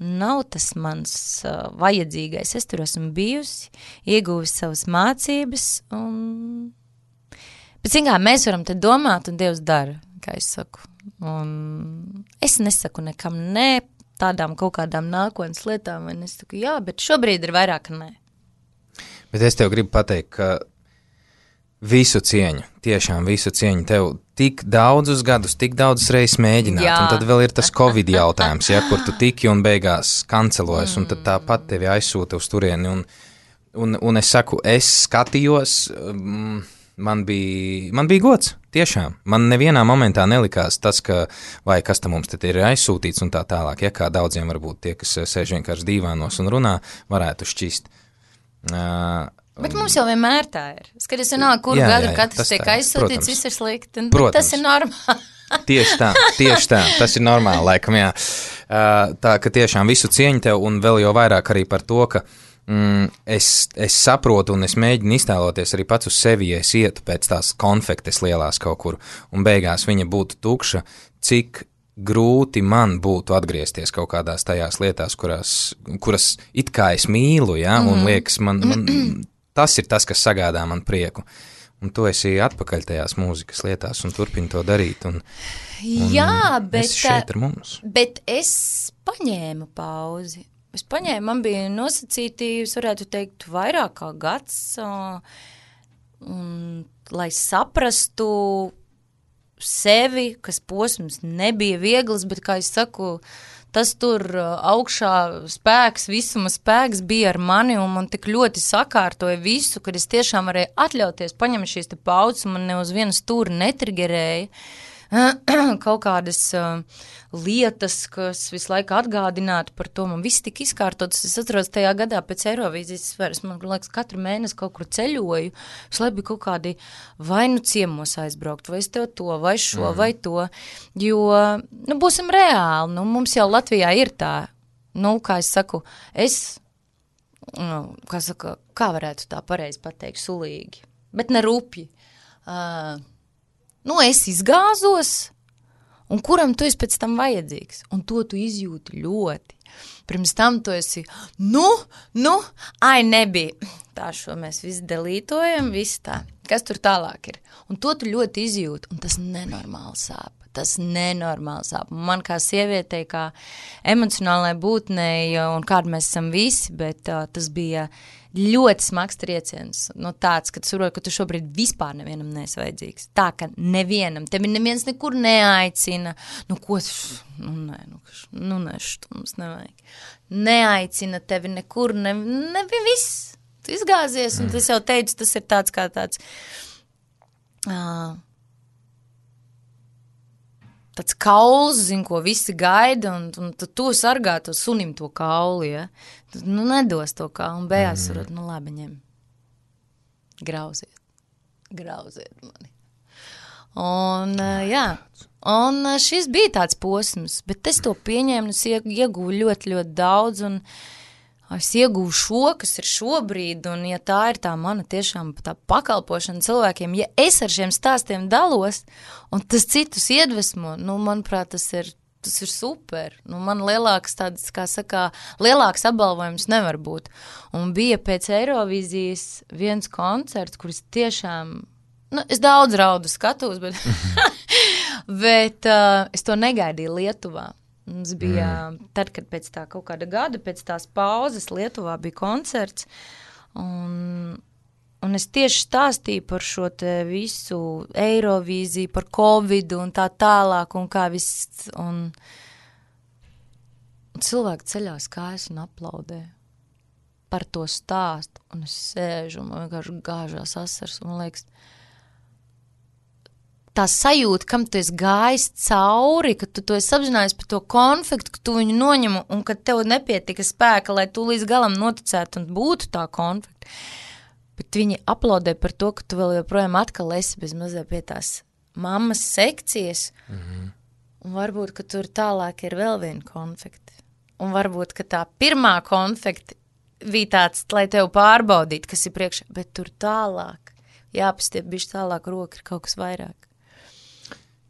nav tas mans uh, vajadzīgais. Es tur esmu bijusi, ieguvis savas mācības, un... bet zin kā, mēs varam te domāt, un Dievs dara, kā es saku. Un es nesaku nekam nē, tādām kaut kādām nākotnes lietām, un es saku jā, bet šobrīd ir vairāk nē. Bet es tev gribu pateikt, ka visu cieņu, tiešām visu cieņu, tev tik daudzus gadus, tik daudzus reizes mēģināt, jā. Un tad vēl ir tas Covid jautājums, ja, kur tu tiki un beigās kancelojas, mm. un tad tāpat tevi aizsūta uz turieni, un, un, un es saku, es skatījos, um, man bija, man bija gods, tiešām. Man nevienā momentā nelikās tas, ka, vai kas tam mums te ir aizsūtīts un tā tālāk, ja kā daudziem varbūt tie, kas sēž vienkārši dīvānos un runā, varētu šķist. Uh, bet mums jau vienmēr tā ir. Skaties, vienalga, kuru jā, gadu jā, jā, katrs tiek aizsūtīts, viss ir slikti, un tas ir normāli. Tieši tā, tieši tā, tas ir normāli, laikam, jā. Uh, tā, ka tiešām visu cieņu tev, un vēl jau vairāk arī par to, ka Mm, es, es saprotu un es mēģinu iztēloties arī pats uz sevi, ja es ietu pēc tās konfektes lielās kaut kur un beigās viņa būtu tukša, cik grūti man būtu atgriezties kaut kādās tajās lietās, kurās, kuras it kā es mīlu, ja, un liekas, man, man, tas ir tas, kas sagādā man prieku. Un tu esi atpakaļ tajās mūzikas lietās un turpini to darīt. Un, un jā, bet, esi šeit ar mums. Bet es paņēmu pauzi. Es paņēmu, man bija nosacīti, es varētu teikt, vairāk kā gads, un, lai saprastu sevi, kas posms nebija viegls, bet, kā es saku, tas tur augšā spēks, visuma spēks bija ar mani, un man tik ļoti sakārtoja visu, kad es tiešām varēju atļauties paņemt šīs te paudzes, un man ne uz vienu stūri netrigerēja. Kaut kādas uh, lietas, kas visu laiku atgādinātu par to, man viss tik izkārtotas. Es atceros tajā gadā pēc Eirovīzijas sfēras, man liekas, katru mēnesi kaut kur ceļoju, visu laiku bija kaut kādi vai nu ciemos aizbraukt, vai es tev to, vai šo, mm. vai to, jo, nu, būsim reāli, nu, mums jau Latvijā ir tā, nu, kā es saku, es, nu, kā saka, kā varētu tā pareizi pateikt, sulīgi, bet ne rupji. uh, nu, es izgāzos, un kuram tu esi pēc tam vajadzīgs, un to tu izjūti ļoti. Pirms tam tu esi, nu, nu, ai, nebija. Tā šo mēs visi delītojam, visi tā. Kas tur tālāk ir? Un to tu ļoti izjūti, un tas nenormāli sāp. Tas nenormāli sāp. Man kā sievietei, kā emocionālai būtnei, un kāda mēs esam visi, bet uh, tas bija ļoti smags trieciens. No tāds, ka tu saproti, ka tu šobrīd vispār nevienam neesi vajadzīgs. Tā, ka nevienam, tevi neviens nekur neaicina. Nu, ko, š, nu, nē, nu, š, nu, nē, št, mums nevajag. Neaicina tevi nekur, ne, nevi viss. Tu izgāzies, un tas jau teicu, tas ir tāds kā tāds... Uh, tāds kauls, zin, ko visi gaida, un, un tu, tu sargā to sunim to kaulu, ja? Tu, nu, nedos to kaulu, un bējās mm. varot, nu, labi, ņem. Grauziet. Grauziet mani. Un, uh, jā, un uh, šis bija tāds posms, bet es to pieņēmu, es ieguvu ļoti, ļoti daudz, un es ieguvu šo, kas ir šobrīd, un ja tā ir tā mana tiešām tā pakalpošana cilvēkiem, ja es ar šiem stāstiem dalos, un tas citus iedvesmo, nu, manuprāt, tas ir, tas ir super. Nu, man lielāks tāds, kā sakā, lielāks apbalvojums nevar būt. Un bija pēc Eirovīzijas viens koncerts, kuris tiešām, nu, es daudz raudu skatos, bet, bet uh, es to negaidīju Lietuvā. Mums bija, mm. tad, kad pēc tā kaut kāda gada, pēc tās pauzes Lietuvā bija koncerts, un, un es tieši stāstīju par šo te visu Eirovīziju, par Covidu un tā tālāk, un kā viss, un, un cilvēki ceļās kājas un aplaudē par to stāstu, un es sēžu, un man vienkārši gāžās asars, un man liekas, tā sajūta, kam tu esi gājis cauri, ka tu to esi apzinājis par to konfliktu, ka tu viņu noņem un ka tev nepietika spēka, lai tu līdz galam noticētu un būtu tā konflikta. Bet viņi aplaudē par to, ka tu vēl joprojām atkal esi bez mazliet pie tās mammas sekcijas, mm-hmm. un varbūt, ka tur tālāk ir vēl viena konflikta. Un varbūt, ka tā pirmā konflikta bija tāds, lai tev pārbaudītu, kas ir priekšā, bet tur tālāk, jāpastiep bišķi tālāk roka ir kaut kas vairāk.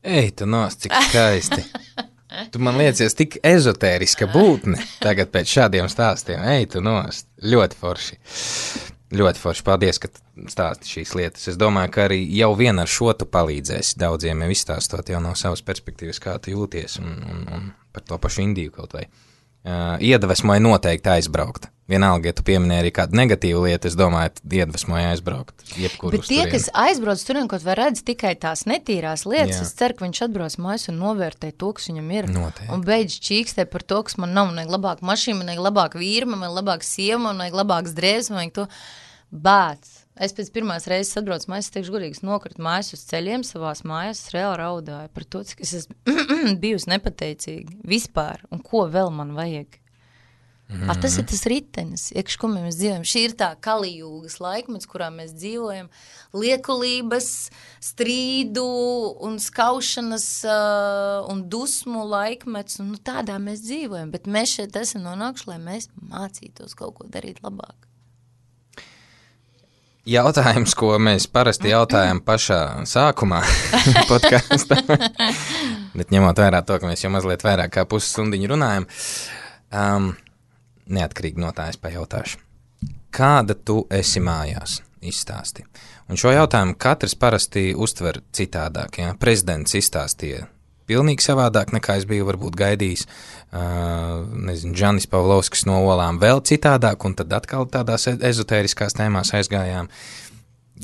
Ej, tu nost, cik skaisti. Tu man liecies tik ezotēriska būtne tagad pēc šādiem stāstiem. Ej, tu nost. Ļoti forši. Ļoti forši. Paldies, ka stāsti šīs lietas. Es domāju, ka arī jau vien ar šo tu palīdzēsi daudziem jau izstāstot jau no savas perspektīvas, kā tu jūties un, un, un par to pašu Indiju kaut vai. Uh, iedvesmoja noteikti aizbraukt. Vienalga, ja tu pieminēji arī kādu negatīvu lietu, es domāju, iedvesmoja aizbraukt. Bet tie, kas aizbrauc tur un kaut vai redz tikai tās netīrās lietas, jā. Es ceru, ka viņš atbrauc mājas un novērtē to, kas viņam ir. Noteikti. Un beidz čīkstē par to, kas man nav. Man vajag labāk mašīna, man vajag labāk vīra, man vajag labāk sieva, man vajag labāks drēbes, man vajag to. Bāc. Es pēc pirmās reizes atbraucu mājas, es teikšu godīgi, nokritu mājas uz ceļiem savās mājas, es reāli raudāju par to, cik es esmu bijusi nepateicīgi vispār, un ko vēl man vajag. Mm-hmm. A, tas ir tas ritenis, iekš, ko mēs dzīvojam. Šī ir tā kalijūgas laikmets, kurā mēs dzīvojam. Liekulības, strīdu un skaušanas uh, un dusmu laikmets, un nu, tādā mēs dzīvojam, bet mēs šeit esam nonākuši, lai mēs mācītos kaut ko darīt labāk. Jautājums, ko mēs parasti jautājam pašā sākumā podkāstā, bet ņemot vērā to, ka mēs jau mazliet vairāk kā pusstundiņu runājam, um, neatkarīgi no tā es pajautāšu. Kāda tu esi mājās? Izstāsti. Un šo jautājumu katrs parasti uztver citādāk. Ja? Prezidents izstāstīja pilnīgi savādāk, nekā es biju varbūt gaidījis. Uh, nezinu, Džanis Pavlovskis no Olām vēl citādāk, un tad atkal tādās ezotēriskās tēmās aizgājām.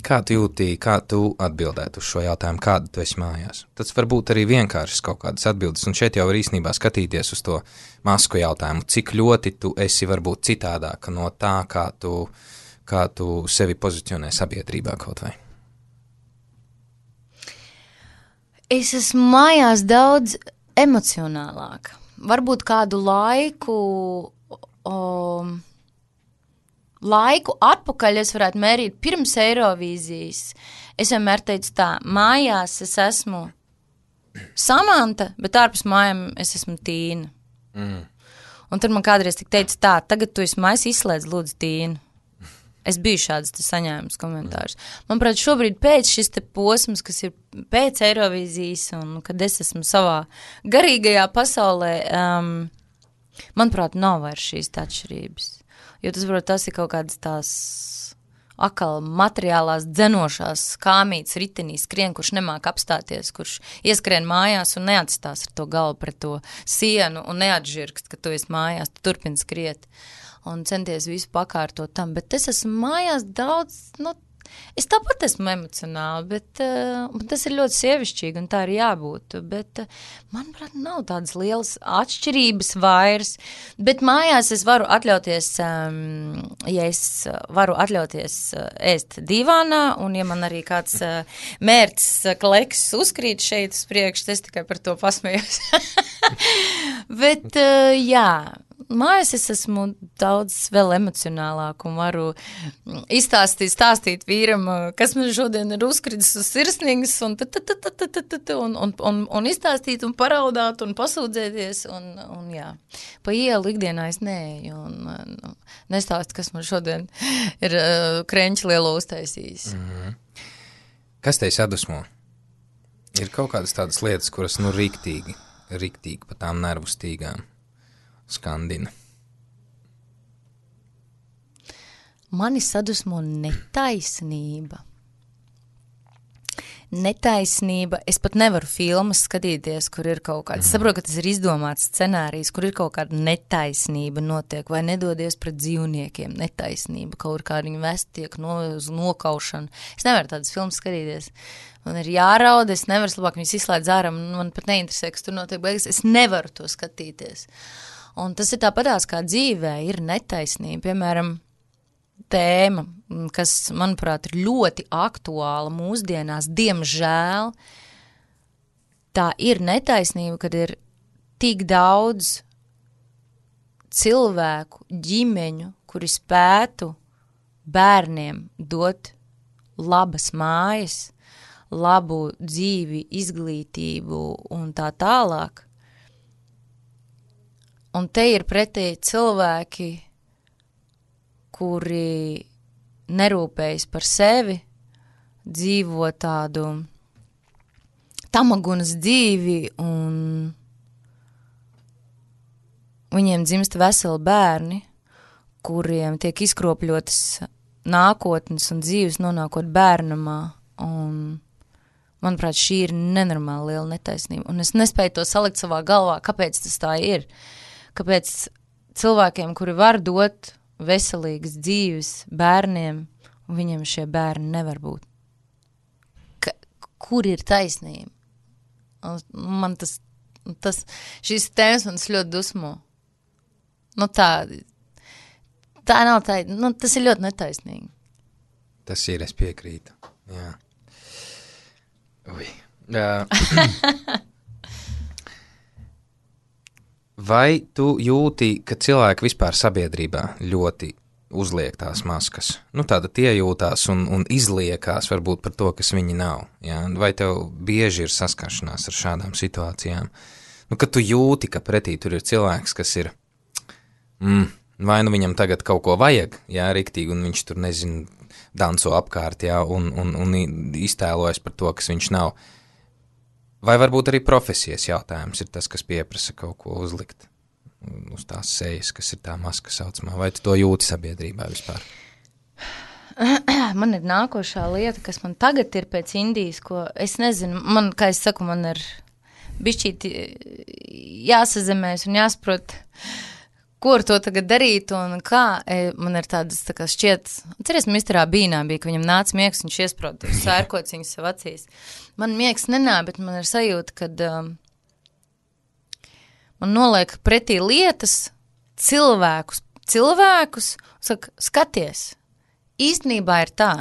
Kā tu jūti, kā tu atbildētu uz šo jautājumu, kāda tu esi mājās? Tas var būt arī vienkāršas kaut kādas atbildes, un šeit jau var īstenībā skatīties uz to masku jautājumu, cik ļoti tu esi varbūt citādāka no tā, kā tu, kā tu sevi pozicionē sabiedrībā kaut vai. Es esmu mājās daudz emocionālāka. Varbūt kādu laiku, um, laiku atpakaļ es varētu mērīt pirms Eirovīzijas. Es vienmēr teicu tā, mājās es esmu Samanta, bet ārpus mājām es esmu Tīna. Mm. Un tad man kādreiz tik teica tā, tagad tu esi mājās izslēdz lūdzu Tīnu. Es biju šāds saņēmus komentārus. Manuprāt, šobrīd pēc šis te posms, kas ir pēc Eirovīzijas un kad es esmu savā garīgajā pasaulē, um, manuprāt, nav vairs šīs atšķirības. Jo tas, varbūt, tas ir kaut kādas tās akal materiālās dzenošās kāmītes ritenī skrien, kurš nemāk apstāties, kurš ieskrien mājās un neatstās ar to galvu pret to sienu un neatžirkst, ka tu esi mājās, tu turpini skriet un centies visu pakārtot tam, bet es esmu mājās daudz, nu, es tāpat esmu emocionāli, bet uh, tas ir ļoti sievišķīgi un tā ir jābūt, bet uh, manuprāt, nav tādas lielas atšķirības vairs, bet mājās es varu atļauties, um, ja es varu atļauties uh, ēst divānā, un ja man arī kāds uh, mērķis uh, kleks uzkrīt šeit uz priekšu, es tikai par to pasmējos. bet, uh, jā, mājās es esmu daudz vēl emocionālāk un varu izstāstīt, stāstīt vīram, kas man šodien ir uzkritis uz sirsnīgas un, un, un, un, un izstāstīt un paraudāt un pasūdzēties un, un jā. Pa ielu ikdienā es neeju un nestāstu, kas man šodien ir uh, krenči lielo uztaisījis. Mm-hmm. Kas tevi sadusmo? Ir kaut kādas tādas lietas, kuras nu riktīgi, riktīgi pa tām nervu stīgām skandina. Mani sadusmo netaisnība. Netaisnība. Es pat nevaru filmas skatīties, kur ir kaut kāds. Es saprotu, ka tas ir izdomāts scenārijs, kur ir kaut kāda netaisnība notiek, vai nedodies pret dzīvniekiem. Netaisnība, kaut kā viņi vest tiek no, uz nokaušanu. Es nevaru tādas filmas skatīties. Man ir jārauda, es nevaru labāk viņus izslēdz ārā, man pat neinteresē, kas tur notiek beigas. Es nevaru to skatīties. Un tas ir tāpatās kā dzīvē, ir netaisnība. Piemēram, tēma, kas, manuprāt, ir ļoti aktuāla mūsdienās, diemžēl, tā ir netaisnība, kad ir tik daudz cilvēku, ģimeņu, kuri spētu bērniem dot labas mājas, labu dzīvi, izglītību un tā tālāk. Un te ir pretī cilvēki, kuri nerūpējas par sevi, dzīvo tādu tamagunas dzīvi un viņiem dzimst veseli bērni, kuriem tiek izkropļotas nākotnes un dzīves nonākot bērnamā. Un, manuprāt, šī ir nenormāli liela netaisnība. Un es nespēju to salikt savā galvā, kāpēc tas tā ir. Kāpēc cilvēkiem, kuri var dot veselīgas dzīves bērniem, un viņiem šie bērni nevar būt. Ka, kur ir taisnība? Man tas, tas šīs tēmas man ļoti dusmo. Nu tā, tā nav tā, nu tas ir ļoti netaisnīgi. Tas ir, es piekrītu, jā. Ui. Uh. Vai tu jūti, ka cilvēki vispār sabiedrībā ļoti uzliek tās maskas? Nu, tāda tie jūtās un, un izliekās varbūt par to, kas viņi nav. Ja? Vai tev bieži ir saskaršanās ar šādām situācijām? Nu, kad tu jūti, ka pretī tur ir cilvēks, kas ir, mm, vai nu viņam tagad kaut ko vajag, jā, riktīgi, un viņš tur, nezinu, danco apkārt, jā, un, un, un iztēlojas par to, kas viņš nav. Vai varbūt arī profesijas jautājums ir tas, kas pieprasa kaut ko uzlikt uz tās sejas, kas ir tā maska saucamā? Vai tu to jūti sabiedrībā vispār? Man ir nākošā lieta, kas man tagad ir pēc Indijas, ko es nezinu, man, kā es saku, man ir bišķīti jāsazemēs un jāsaprot, ko ar to tagad darīt un kā. Man ir tādas tā kā šķiet, ceries, misterā Bīnā bija, ka viņam nāca miegs, viņš iesprot sērkociņus sev acīs. Man miegs nenā, bet man ir sajūta, kad um, man noliek pretī lietas, cilvēkus, cilvēkus, saka, skaties, īstenībā ir tā.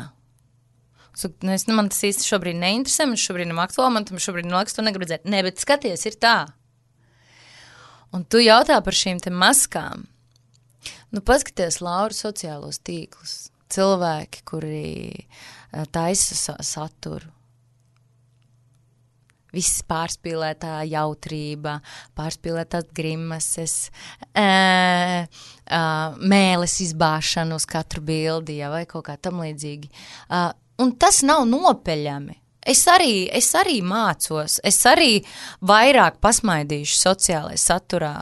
Saka, es, man tas īsti šobrīd neinteresē, man šobrīd nav aktuāli, man tam šobrīd neliekas to negrib redzēt. Nē, bet skaties, ir tā. Un tu jautā par šīm te maskām. Nu, paskaties, Laura, sociālos tīklus. Cilvēki, kuri taisa saturu. viss pārspīlētā jautrība, pārspīlētās grimases, ē, ā, mēles izbāšana uz katru bildi, ja, vai kaut kā tam līdzīgi. Uh, un tas nav nopeļami. Es arī, es arī mācos, es arī vairāk pasmaidīšu sociālajā saturā,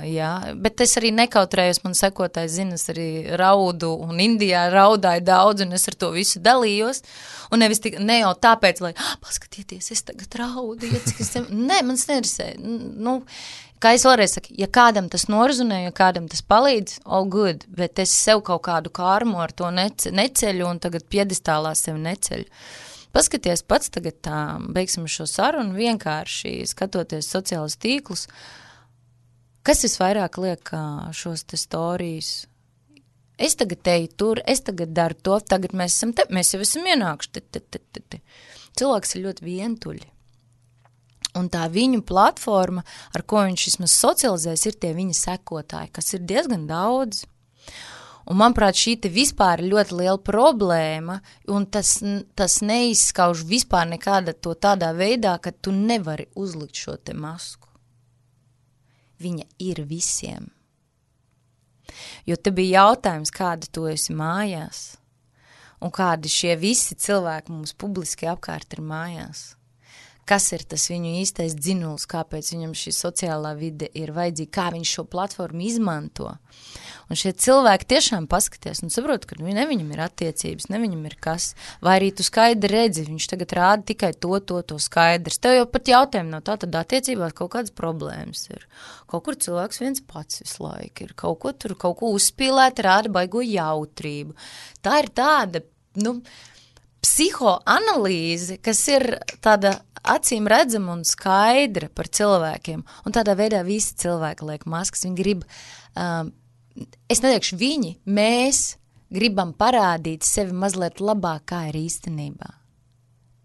jā, bet es arī nekautrējos, man sekotāji zina, es arī raudu, un Indijā raudāju daudz, un es ar to visu dalījos, un nevis tik, ne jau tāpēc, lai, ah, paskatieties, es tagad raudu, ja, es te... Nē, man nerisē, nu, kā es vēlreiz saku, ja kādam tas norezonē, ja kādam tas palīdz, all good, bet es sev kaut kādu kārmu ar to nece, neceļu, un tagad piedestālā sevi neceļu. Paskaties pats tagad tā, beigsim šo sarunu, vienkārši skatoties sociālus tīklus, kas visvairāk liek šos te storijas. Es tagad teju tur, es tagad daru to, tagad mēs esam te, mēs jau esam ienākuši. Te, te, te, te, te. Cilvēks ir ļoti vientuļi. Un tā viņu platforma, ar ko viņš vismaz socializēs, ir tie viņa sekotāji, kas ir diezgan daudz. Un, manuprāt, šī te vispār ir ļoti liela problēma, un tas, tas neizskauž vispār nekāda to tādā veidā, ka tu nevari uzlikt šo te masku. Viņa ir visiem. Jo te bija jautājums, kāda tu esi mājās, un kādi šie visi cilvēki mums publiski apkārt ir mājās. Kas ir tas viņu īstais dzinuls, kāpēc viņam šī sociālā vide ir vajadzīga, kā viņš šo platformu izmanto. Un šie cilvēki tiešām paskaties un saprot, ka ne viņam ir attiecības, ne viņam ir kas, vai arī tu skaidri redzi, viņš tagad rāda tikai to, to, to skaidrs. Tev jau pat jautājumi nav tā, tad attiecībās kaut kādas problēmas ir. Kaut kur cilvēks viens pats visu laiku ir, kaut ko tur, kaut ko uzspīlēt, rāda baigo jautrību. Tā ir tāda, nu, psihoanalīze, kas ir tāda acīm redzama un skaidra par cilvēkiem. Un tādā veidā visi cilvēki liek maskas, viņi grib... Um, Es neteikšu viņi, mēs gribam parādīt sevi mazliet labāk, kā ir īstenībā.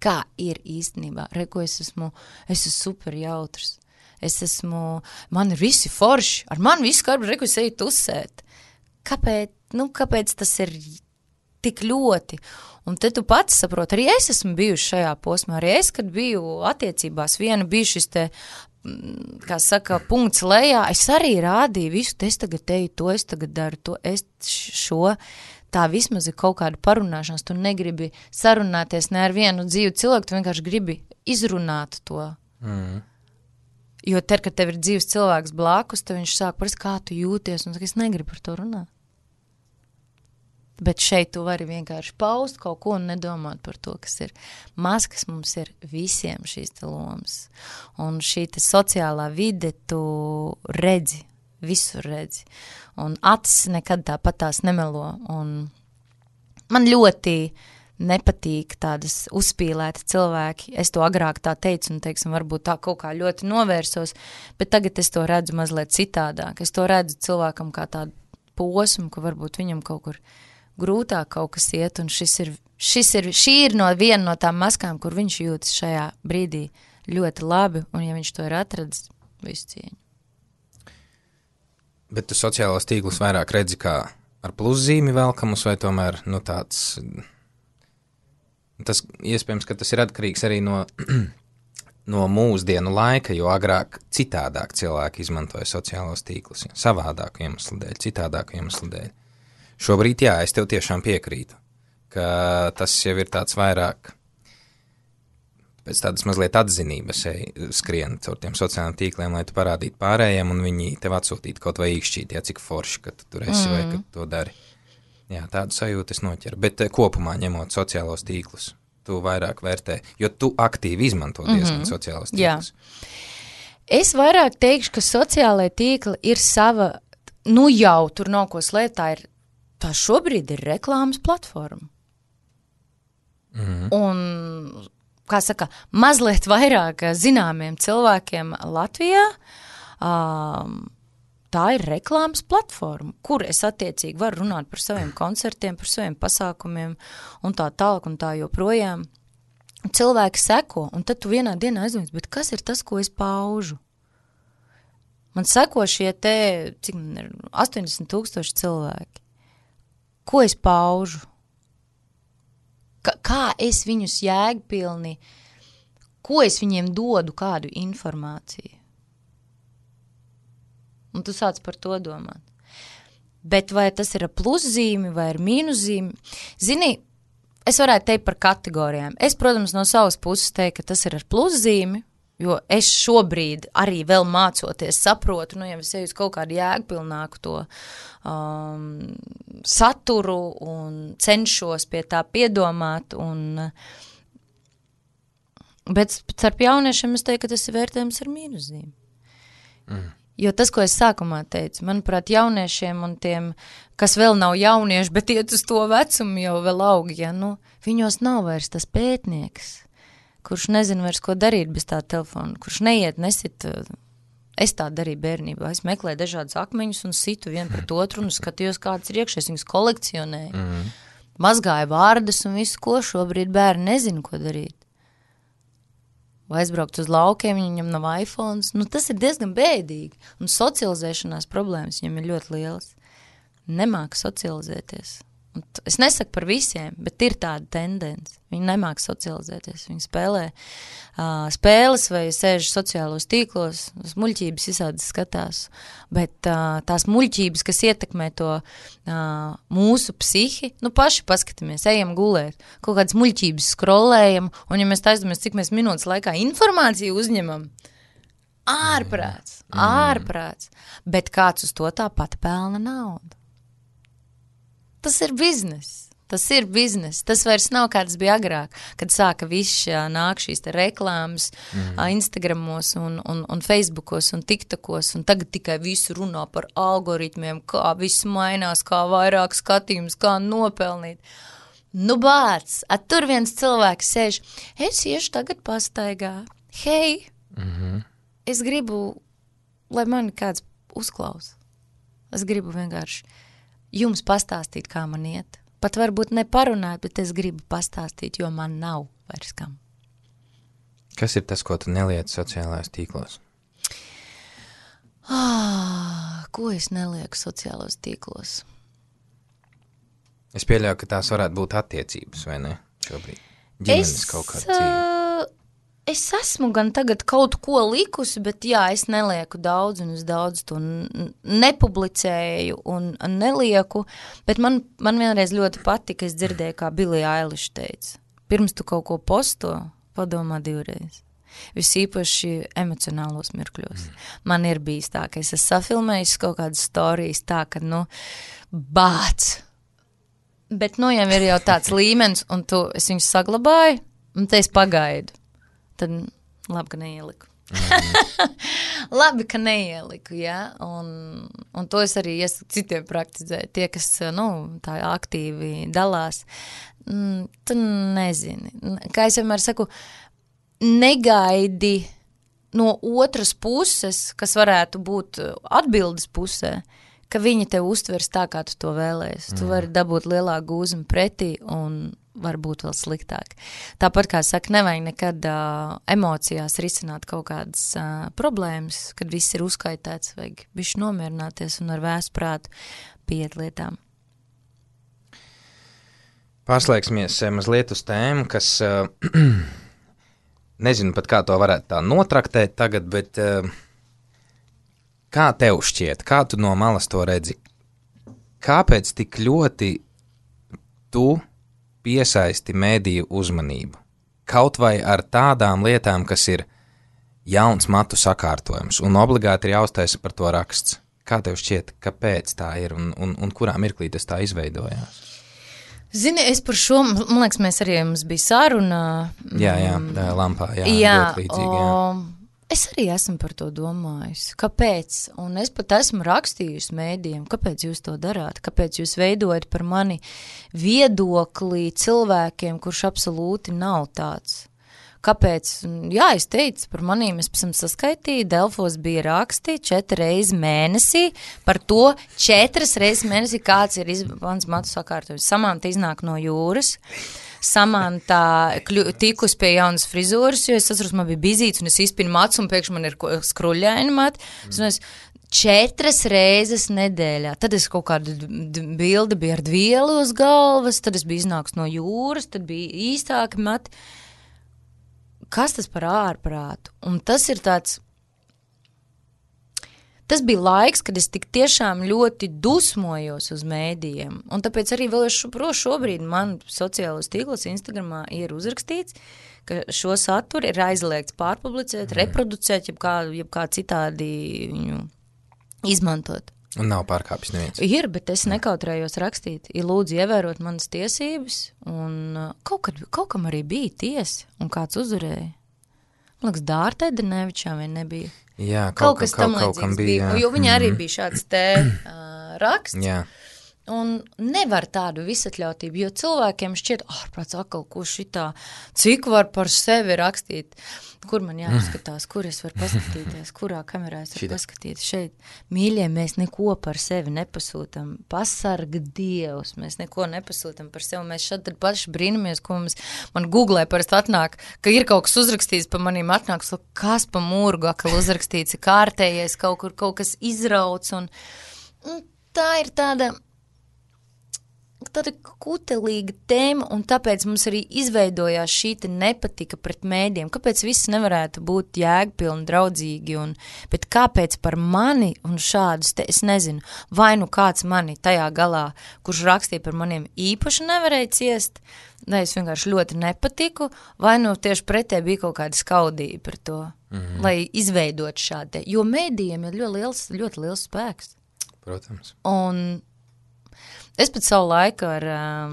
Kā ir īstenībā. Reku, es esmu, es esmu super jautrs. Es esmu, man ir visi forši, ar mani visu karbu, reku, es eju tusēt. Kāpēc, nu, kāpēc tas ir tik ļoti? Un te tu pats saproti, arī es esmu bijuši šajā posmā, arī es, kad biju attiecībās, viena bija šis te, kā saka, punkts lejā, es arī rādīju visu, es tagad teju to, es tagad daru to, es šo, tā vismaz ir kaut kāda parunāšanās, tu negribi sarunāties ne ar vienu dzīvu cilvēku, tu vienkārši gribi izrunāt to. Mm. Jo ter, kad tev ir dzīves cilvēks blakus, tad viņš sāk parast, kā tu jūties, un saka, es negribu par to runāt. Bet šeit tu vari vienkārši paust kaut ko un nedomāt par to, kas ir. Maskas mums ir visiem šīs te lomas. Un šī te sociālā vide tu redzi, visur redzi. Un acis nekad tāpat tās nemelo. Un man ļoti nepatīk tādas uzspīlēti cilvēki. Es to agrāk tā teicu un, teiksim, varbūt tā kaut kā ļoti novērsos, bet tagad es to redzu mazliet citādāk. Es to redzu cilvēkam kā tādu posmu, ka varbūt viņam kaut kur grūtāk kaut kas iet, un šis ir, šis ir, šī ir no viena no tām maskām, kur viņš jūtas šajā brīdī ļoti labi, un ja viņš to ir atradis, visu cieņu. Bet tu sociālos tīklus vairāk redzi kā ar pluszīmi velkamus, vai tomēr, nu, tāds, tas iespējams, ka tas ir atkarīgs arī no, no mūsdienu laika, jo agrāk citādāk cilvēki izmantoja sociālos tīklus, ja, savādāku iemeslu dēļ, citādāku iemeslu dēļ. Šobrīd, jā, es tev tiešām piekrītu, ka tas jau ir tāds vairāk pēc tādas mazliet atzinības skrien caur tiem sociālajiem tīkliem, lai tu parādītu pārējiem un viņi tev atsūtītu kaut vai īkšķīt, jā, cik forši, ka tu tur esi mm. vai ka tu to dari. Jā, tādu sajūtu es noķeru, bet kopumā ņemot sociālos tīklus, tu vairāk vērtē, jo tu aktīvi izmanto diezgan mm-hmm. sociālos tīklus. Jā. Es vairāk teikšu, ka sociālai tīkli ir sava, nu jau tur nav ko slēpt, tā ir tā šobrīd ir reklāmas platforma. Mm-hmm. Un, kā saka, mazliet vairāk zināmiem cilvēkiem Latvijā, um, tā ir reklāmas platforma, kur es attiecīgi varu runāt par saviem koncertiem, par saviem pasākumiem un tā tālāk un tā joprojām. Cilvēki seko, un tad tu vienā dienā aizdomājies, bet kas ir tas, ko es paužu? Man seko šie te, cik man ir, astoņdesmit tūkstoši cilvēki. Ko es paužu? Ka, kā es viņus jēgpilni ko es viņiem dodu, kādu informāciju. Un tu sāc par to domāt. Bet vai tas ir ar pluszīmi vai ar mīnuszīmi? Zini, es varētu teikt par kategorijām. Es, protams, no savas puses teiktu, ka tas ir ar pluszīmi, jo es šobrīd arī vēl mācoties saprotu, nu, ja es eju uz kaut kādu jēgpilnāku to um, saturu un cenšos pie tā piedomāt. Un, bet starp jauniešiem es teiktu, ka tas ir vērtējums ar mīnuszīmi. Mm. Jo tas, ko es sākumā teicu, manuprāt, jauniešiem un tiem, kas vēl nav jaunieši, bet iet uz to vecumu jau vēl aug, ja, nu, viņos nav vairs tas pētnieks, kurš nezina vairs, ko darīt bez tā telefona, kurš neiet, nesit, es tā darīju bērnībā, es meklēju dažādas akmeņus un situ vienu pret otru un skatījos, kāds ir iekšējais, viņus kolekcionēju, mm-hmm. mazgāju vārdus un visu, ko šobrīd bērni nezina, ko darīt. Vai aizbraukt uz laukiem, viņam nav iPhones, nu tas ir diezgan bēdīgi. Un socializēšanās problēmas viņam ir ļoti lielas. Nemāka socializēties. Un es nesaku par visiem, bet ir tāda tendence. Viņi nemāka socializēties. Viņi spēlē uh, spēles vai sēž sociālos tīklos, muļķības visādi skatās. Bet uh, tās muļķības, kas ietekmē to uh, mūsu psihi, nu paši paskatāmies, ejam gulēt, kaut kādas muļķības scrollējam, un ja mēs taisdamies, cik mēs minūtes laikā informāciju uzņemam, ārprāts, ārprāts. Bet kāds uz to tāpat pelna naudu. Tas ir biznes, tas ir biznes, tas vairs nav kāds bija agrāk, kad sāka viss nāk šīs te reklāmas mm. Instagramos un, un, un Facebookos un TikTokos, un tagad tikai visu runā par algoritmiem, kā viss mainās, kā vairāk skatījums, kā nopelnīt. Nu bāc, at tur viens cilvēks sēž, es iešu tagad pastaigā, hei, mm-hmm. es gribu, lai mani kāds uzklaus, es gribu vienkārši jums pastāstīt, kā man iet. Pat varbūt neparunāt, bet es gribu pastāstīt, jo man nav vairs kam. Kas ir tas, ko tu neliec sociālajos tīklos? Ah, ko es nelieku sociālos tīklos? Es pieļauju, ka tās varētu būt attiecības, vai ne? Šobrīd. Ģimenes es, kaut kāda dzīve. Es esmu gan tagad kaut ko likusi, bet jā, es nelieku daudz un es daudz to nepublicēju un nelieku, bet man, man vienreiz ļoti patika, es dzirdēju, kā Billie Eilish teica. Pirms tu kaut ko posto, padomā divreiz. Visīpaši emocionālos mirkļos. Mm. Man ir bijis tā, ka es esmu safilmējis kaut kādas storijas tā, ka, nu, bāc. Bet, nu, jau ir jau tāds līmenis, un tu, es viņus saglabāju, un te es pagaidu. Tad labi, ka neieliku. Mm. labi, ka neieliku, jā, un, un to es arī iesaku citiem praktizēt. Tie, kas, nu, tā aktīvi dalās, mm, tu nezini. Kā es vienmēr saku, negaidi no otras puses, kas varētu būt atbildes pusē, ka viņi tev uztvers tā, kā tu to vēlējies. Mm. Tu vari dabūt lielāku gūzumu pretī un var būt vēl sliktāk. Tāpat, kā saka, nevajag nekad uh, emocijās risināt kaut kādas uh, problēmas, kad viss ir uzskaitēts, vajag bišķi nomierināties un ar vēstu prātu pieiet lietām. Pārslēgsimies mazliet uz tēmu, kas, uh, nezinu pat kā to varētu tā notraktēt tagad, bet uh, kā tev šķiet, kā tu no malas to redzi? Kāpēc tik ļoti tu piesaisti mēdīju uzmanību? Kaut vai ar tādām lietām, kas ir jauns matu sakārtojums, un obligāti ir jāuztaisa par to raksts. Kā tev šķiet, kāpēc tā ir, un, un, un kurā mirklī tas tā izveidojās? Zini, es par šo, man liekas, mēs arī mums bija saruna. Jā, jā, tā lampā, jā, jā ļoti līdzīgi, jā. O, es arī esmu par to domājusi. Kāpēc? Un es pat esmu rakstījusi mēdījiem, kāpēc jūs to darāt? Kāpēc jūs veidojat par mani viedokli cilvēkiem, kurš absolūti nav tāds? Kāpēc? Jā, es teicu, par manīm es pēc tam saskaitīju, Delfos bija raksti četri reizes mēnesī, par to četras reizes mēnesī, kāds ir izbāns matu sakārtojums. Samanta iznāk no jūras, Samanta tikus pie jaunas frizūras, jo es atceros, man bija bizīts un es izpinu mats un pēkšņi man ir skruļaini mati. Mm. Es četras reizes nedēļā. Tad es kaut kādu bildi bija ar dvielu uz galvas, tad es biju iznāks no jūras, tad bija īstāki mati. kas tas par ārprātu? Un tas ir tāds, tas bija laiks, kad es tik tiešām ļoti dusmojos uz mēdījiem, un tāpēc arī vēl šo, šobrīd man sociālos tīklos Instagramā ir uzrakstīts, ka šo saturu ir aizliegts pārpublicēt, mm. reproducēt, jeb kā, jeb kā citādi viņu izmantot. Un nav pārkāpis neviens. Ir, bet es nekautrējos rakstīt. Ir lūdzu ievērot manas tiesības, un kaut, kad, kaut kam arī bija tiesa, un kāds uzvarēja. Man liekas, Dārta Edernevičā vien nebija. Jā, kaut, kaut kas kaut, tam kaut kam bija. bija, jo viņa mm-hmm. arī bija šāds te uh, raksts. Jā. Un nevar tādu visatļautību, jo cilvēkiem šķiet, ārprāts akal, ko šitā, cik var par sevi rakstīt, kur man jāpaskatās, kur es varu paskatīties, kurā kamerā es varu paskatīt. Šeit, mīļie, mēs neko par sevi nepasūtam, pasarga Dievs, mēs neko nepasūtam par sevi, mēs šad tad paši brīnamies, ko mums, man Googlē parasti atnāk, ka ir kaut kas uzrakstīts pa manīm atnāks, kas pa mūrgu akal uzrakstīts, kārtējies, kaut kur kaut kas izrauc, un, un tā ir tāda... tāda kutelīga tēma, un tāpēc mums arī izveidojās šī te nepatika pret mēdiem. Kāpēc viss nevarētu būt jēgpilni, draudzīgi, un, bet kāpēc par mani un šādus te, es nezinu, vai nu kāds mani tajā galā, kurš rakstīja par maniem īpaši nevarēja ciest, vai es vienkārši ļoti nepatiku, vai nu tieši pretē bija kaut kāda skaudība par to, mm-hmm. lai izveidot šādi. Jo mēdījiem ir ļoti liels, ļoti liels spēks. Protams. Un es pat savu laiku ar, um,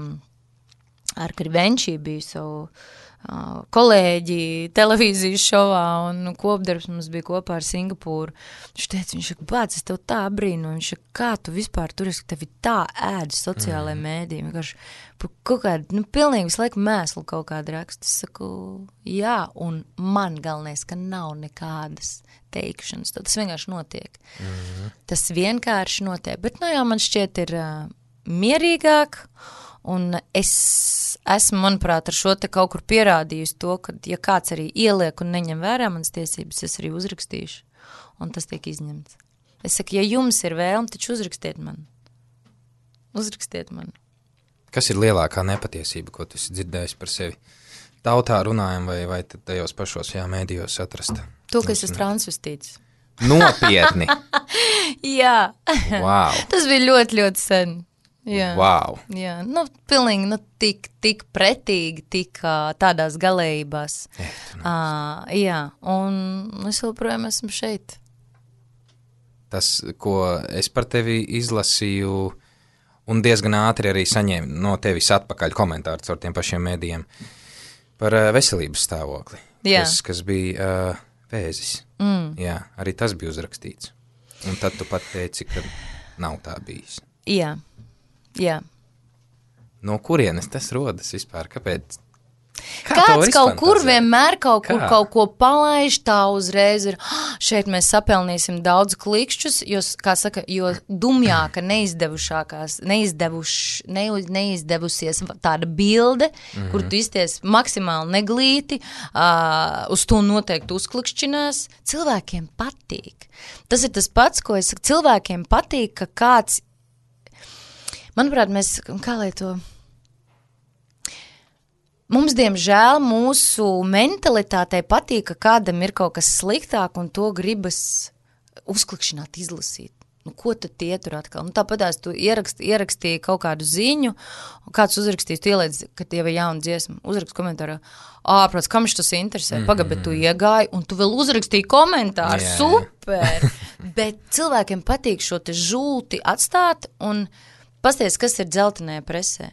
ar Krivenčī biju savu uh, kolēģi televīzijas šovā, un kopdarbs mums bija kopā ar Singapūru. Viņš teica, viņš saka, bāc, es tev tā brīnu, viņš saka, kā tu vispār tur esi, ka tevi tā ēd sociālajā mm. mēdī, vienkārši kaut kādu, nu, pilnīgi visu laiku mēslu kaut kādu rakstu. Es saku, jā, un man galvenais, ka nav nekādas teikšanas, tas vienkārši notiek. Mm. Tas vienkārši notiek, bet, nu jā, man šķiet ir... Uh, mierīgāk, un es esmu, manuprāt, ar šo te kaut kur pierādījusi to, ka, ja kāds arī ieliek un neņem vērā manas tiesības, es arī uzrakstīšu, un tas tiek izņemts. Es saku, ja jums ir vēlme, taču uzrakstiet man. Uzrakstiet man. Kas ir lielākā nepatiesība, ko tu esi dzirdējis par sevi? Tautā runājam, vai, vai tajos pašos jā, mēdījos atrast? To, ka es esmu transvestīts. Nopietni? Jā. Wow. Tas bija ļoti, ļoti sen. Jā, wow. Jā, nu, pilnīgi, nu, tik, tik pretīgi, tik uh, tādās galējībās. Uh, jā, un es joprojām esmu šeit. Tas, ko es par tevi izlasīju, un diezgan ātri arī saņēmu no tevis atpakaļ komentārus ar tiem pašiem mēdījiem par uh, veselības stāvokli, kas, kas bija uh, vēzis. Mm. Jā, arī tas bija uzrakstīts. Un tad tu pat teici, ka nav tā bijis. Jā. Jā. No kurienes tas rodas vispār? Kāpēc? Kā Kāds kaut kur vienmēr kaut kur Kā? kaut ko palaiž, tā uzreiz ir, oh, šeit mēs sapelnīsim daudz klikšķus, jo, kā saka, jo dumjāka neizdevušākās, neizdevuš, ne, neizdevusies tāda bilde, mm-hmm. kur tu izties maksimāli neglīti, uh, uz to noteikti uzklikšķinās, cilvēkiem patīk. Tas ir tas pats, ko es saku, cilvēkiem patīk, ka kāds manuprāt, mēs, kā lai to, mums, diemžēl, mūsu mentalitātei patīk, ka kādam ir kaut kas sliktāk un to gribas uzklikšķināt, izlasīt. Nu, ko tad tie tur atkal? Nu, tāpatās tu ierakst, ierakstīji kaut kādu ziņu, un kāds uzrakstīs, tu ieliec, ka tie vai jauna dziesma, uzrakst komentārā, ārprāts, kam viņš tas interesē? Mm-hmm. Pagad, bet tu iegāji, un tu vēl uzrakstīji komentāru, yeah. Super! Bet cilvēkiem patīk šo te žulti atstāt, un pasties, kas ir dzeltenajā presē.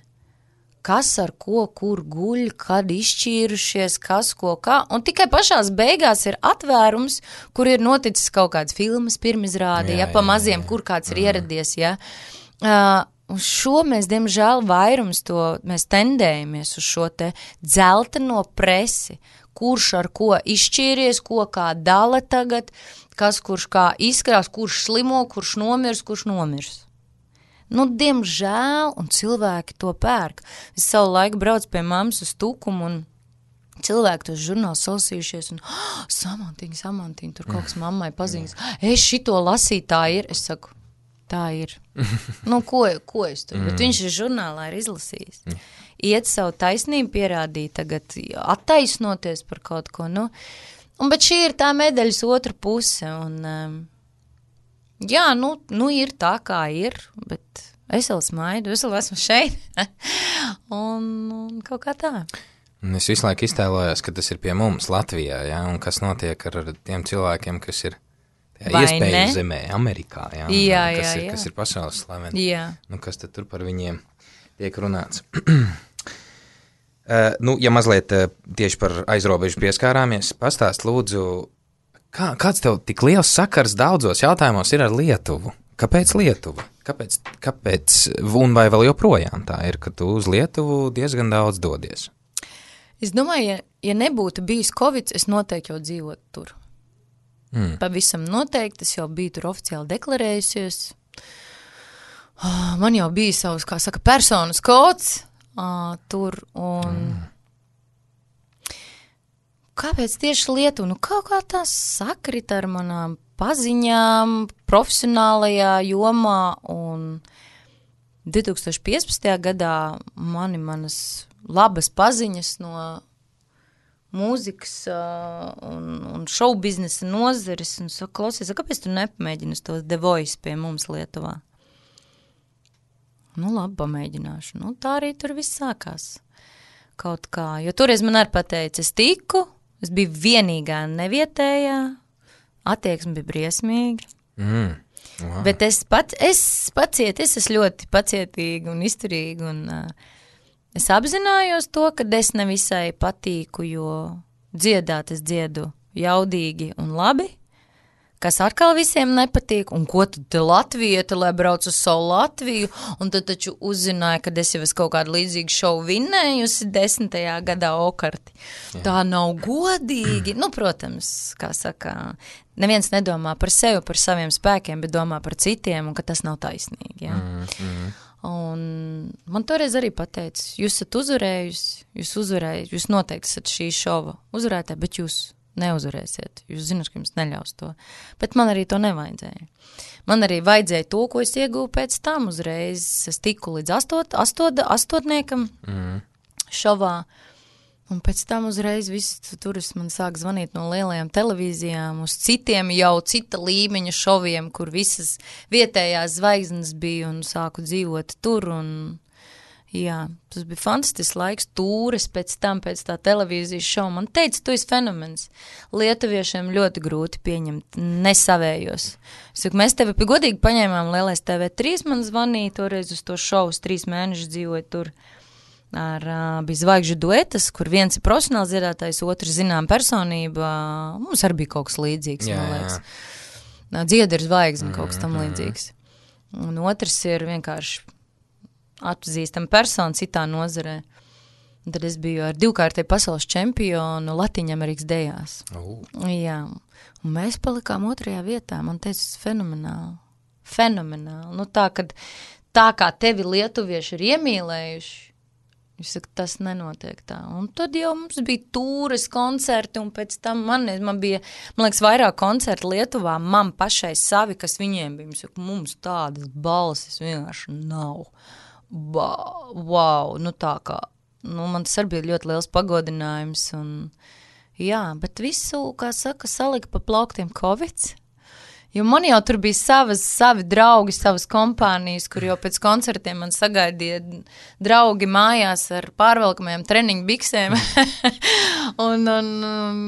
Kas ar ko, kur guļ, kad izšķīrušies, kas ko kā. Un tikai pašās beigās ir atvērums, kur ir noticis kaut kāds filmas pirmizrāde, ja, pa maziem, kur kāds ir ieradies, ja. Uh, un šo mēs, diemžēl, vairums to, mēs tendējamies uz šo te dzelteno presi, kurš ar ko izšķīries, ko kā dala tagad, kas kurš kā izskrās, kurš slimo, kurš nomirs, kurš nomirs. Nu, diemžēl, un cilvēki to pērk. Es savu laiku braucu pie mammas uz Tukumu, un cilvēki tos žurnālus salasījušies, un oh, samantiņa, samantiņa, tur kaut kas mammai paziņas. Es šito lasītāju ir, es saku, tā ir. Nu, ko, ko es tur? Mm. Bet viņš ir žurnālā ir izlasījis. Mm. Iet savu taisnību pierādīt, tagad attaisnoties par kaut ko, nu. Un, bet šī ir tā medaļas otra puse, un, um, jā, nu, nu, ir tā, kā ir, bet es vēl smaidu, es vēl esmu šeit, un, un kaut kā tā. Es visu laiku iztēlojos, ka tas ir pie mums Latvijā, ja, un kas notiek ar tiem cilvēkiem, kas ir iespēju zemē, Amerikā, ja, jā, kas, jā, ir, jā. kas ir pasaules slaveni. Jā. Nu, kas tad tur par viņiem tiek runāts? uh, nu, ja mazliet uh, tieši par aizrobežu pieskārāmies, pastāst lūdzu, kā, kāds tev tik liels sakars daudzos jautājumos ir ar Lietuvu? Kāpēc Lietuva? Kāpēc, kāpēc, un vai vēl joprojām tā ir, ka tu uz Lietuvu diezgan daudz dodies? Es domāju, ja, ja nebūtu bijis Covid, es noteikti jau dzīvotu tur. Mm. Pavisam noteikti, es jau biju tur oficiāli deklarējusies. Man jau bija savs, kā saka, personas kods uh, tur, un mm. kāpēc tieši Lietuva? Nu, kaut kā tā sakrita ar manām paziņām, profesionālajā jomā, un divi tūkstoši piecpadsmitajā gadā mani manas labas paziņas no mūzikas uh, un, un šou biznesa nozares, un saka, klausies, kāpēc tu nepamēģini uz to The Voice pie mums Lietuvā? Nu, labi, pamēģināšu. Nu, tā arī tur viss sākās. Kaut kā, jo toreiz man arī pateica, es tiku, es biju vienīgā nevietējā, attieksme bija briesmīga. Mm. Wow. Bet es, pat, es paciet, es esmu ļoti pacietīga un izturīga, un uh, es apzinājos to, ka es nevisai patīku, jo dziedāt es dziedu jaudīgi un labi, kas atkal visiem nepatīk, un ko tad te Latvieta, lai brauc uz savu Latviju, un tad taču uzzināja, ka es jau es kaut kādu līdzīgu šovu vinnējusi desmitajā gadā okarti. Jā. Tā nav godīgi. Nu, protams, kā saka, neviens nedomā par sevi, par saviem spēkiem, bet domā par citiem, un ka tas nav taisnīgi, ja? Mm, mm. Un man toreiz arī pateica, jūs esat uzvarējusi, jūs uzvarējusi, jūs noteikti esat šī šova uzvarētāji, bet jūs neuzvarēsiet, jūs zināt, ka jums neļaus to. Bet man arī to nevajadzēja. Man arī vajadzēja to, ko es ieguvu pēc tam uzreiz. Es tiku līdz astot, astot, astotniekam mm. šovā, un pēc tam uzreiz viss turis man sāk zvanīt no lielajām televīzijām uz citiem jau cita līmeņa šoviem, kur visas vietējās zvaigznes bija un sāku dzīvot tur, un jā, tas bija fantastisks laiks, tūres pēc tam, pēc tā televīzijas šova. Man teica, tu esi fenomens. Lietuviešiem ļoti grūti pieņemt, nesavējos. Es saku, mēs tevi godīgi paņēmām Lielais T V trīs, man zvanīja toreiz uz to šovu, trīs mēnešus dzīvoju tur. Ar, uh, bija zvaigžu duetas, kur viens ir profesionāls dziedātājs, otrs zinām personība. Mums arī bija kaut kas līdzīgs, jā, man liekas. Dzieda ir zvaigzne, kaut kas tam līdzīgs. Un otrs ir vienkārši atpazīstama persona citā nozarē. Un tad es biju ar divkārtēju pasaules čempionu Latviņamerikas dejās. Uh. Jā. Un mēs palikām otrajā vietā. Man teica, fenomenāli. Fenomenāli. Nu tā, kad tā kā tevi lietuvieši ir iemīlējuši, es saku, tas nenotiek tā. Un tad jau mums bija tūres koncerti, un pēc tam man, man bija, man liekas, vairāk koncerti Lietuvā, man pašai savi, kas viņiem bija. Es saku, mums tādas balsis vienkārši nav. Ba, wow, nu tā kā, nu man tas arī bija ļoti liels pagodinājums, un jā, bet visu, kā saka, salika pa plauktiem Covids. Jo man jau tur bija savas, savi draugi, savas kompānijas, kur jau pēc koncertiem man sagaidīja draugi mājās ar pārvelkamajām treniņu biksēm un, un um,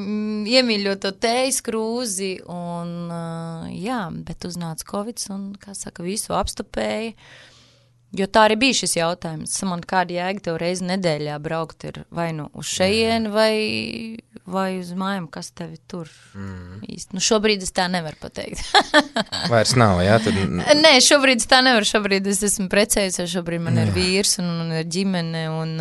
iemīļot to tējas krūzi. Un, uh, jā, bet uznāca Covids un, kā saka, visu apstupēja. Jo tā arī bija šis jautājums. Man kāda jēga tev reizi nedēļā braukt ir vai nu uz šejieni vai, vai uz mājām, kas tevi tur mm. īsti. Nu šobrīd es tā nevaru pateikt. Vairs nav, jā? Tad... Nē, šobrīd es tā nevaru. Šobrīd es esmu precējusi, šobrīd man jā. ir vīrs un, un ir ģimene. Un,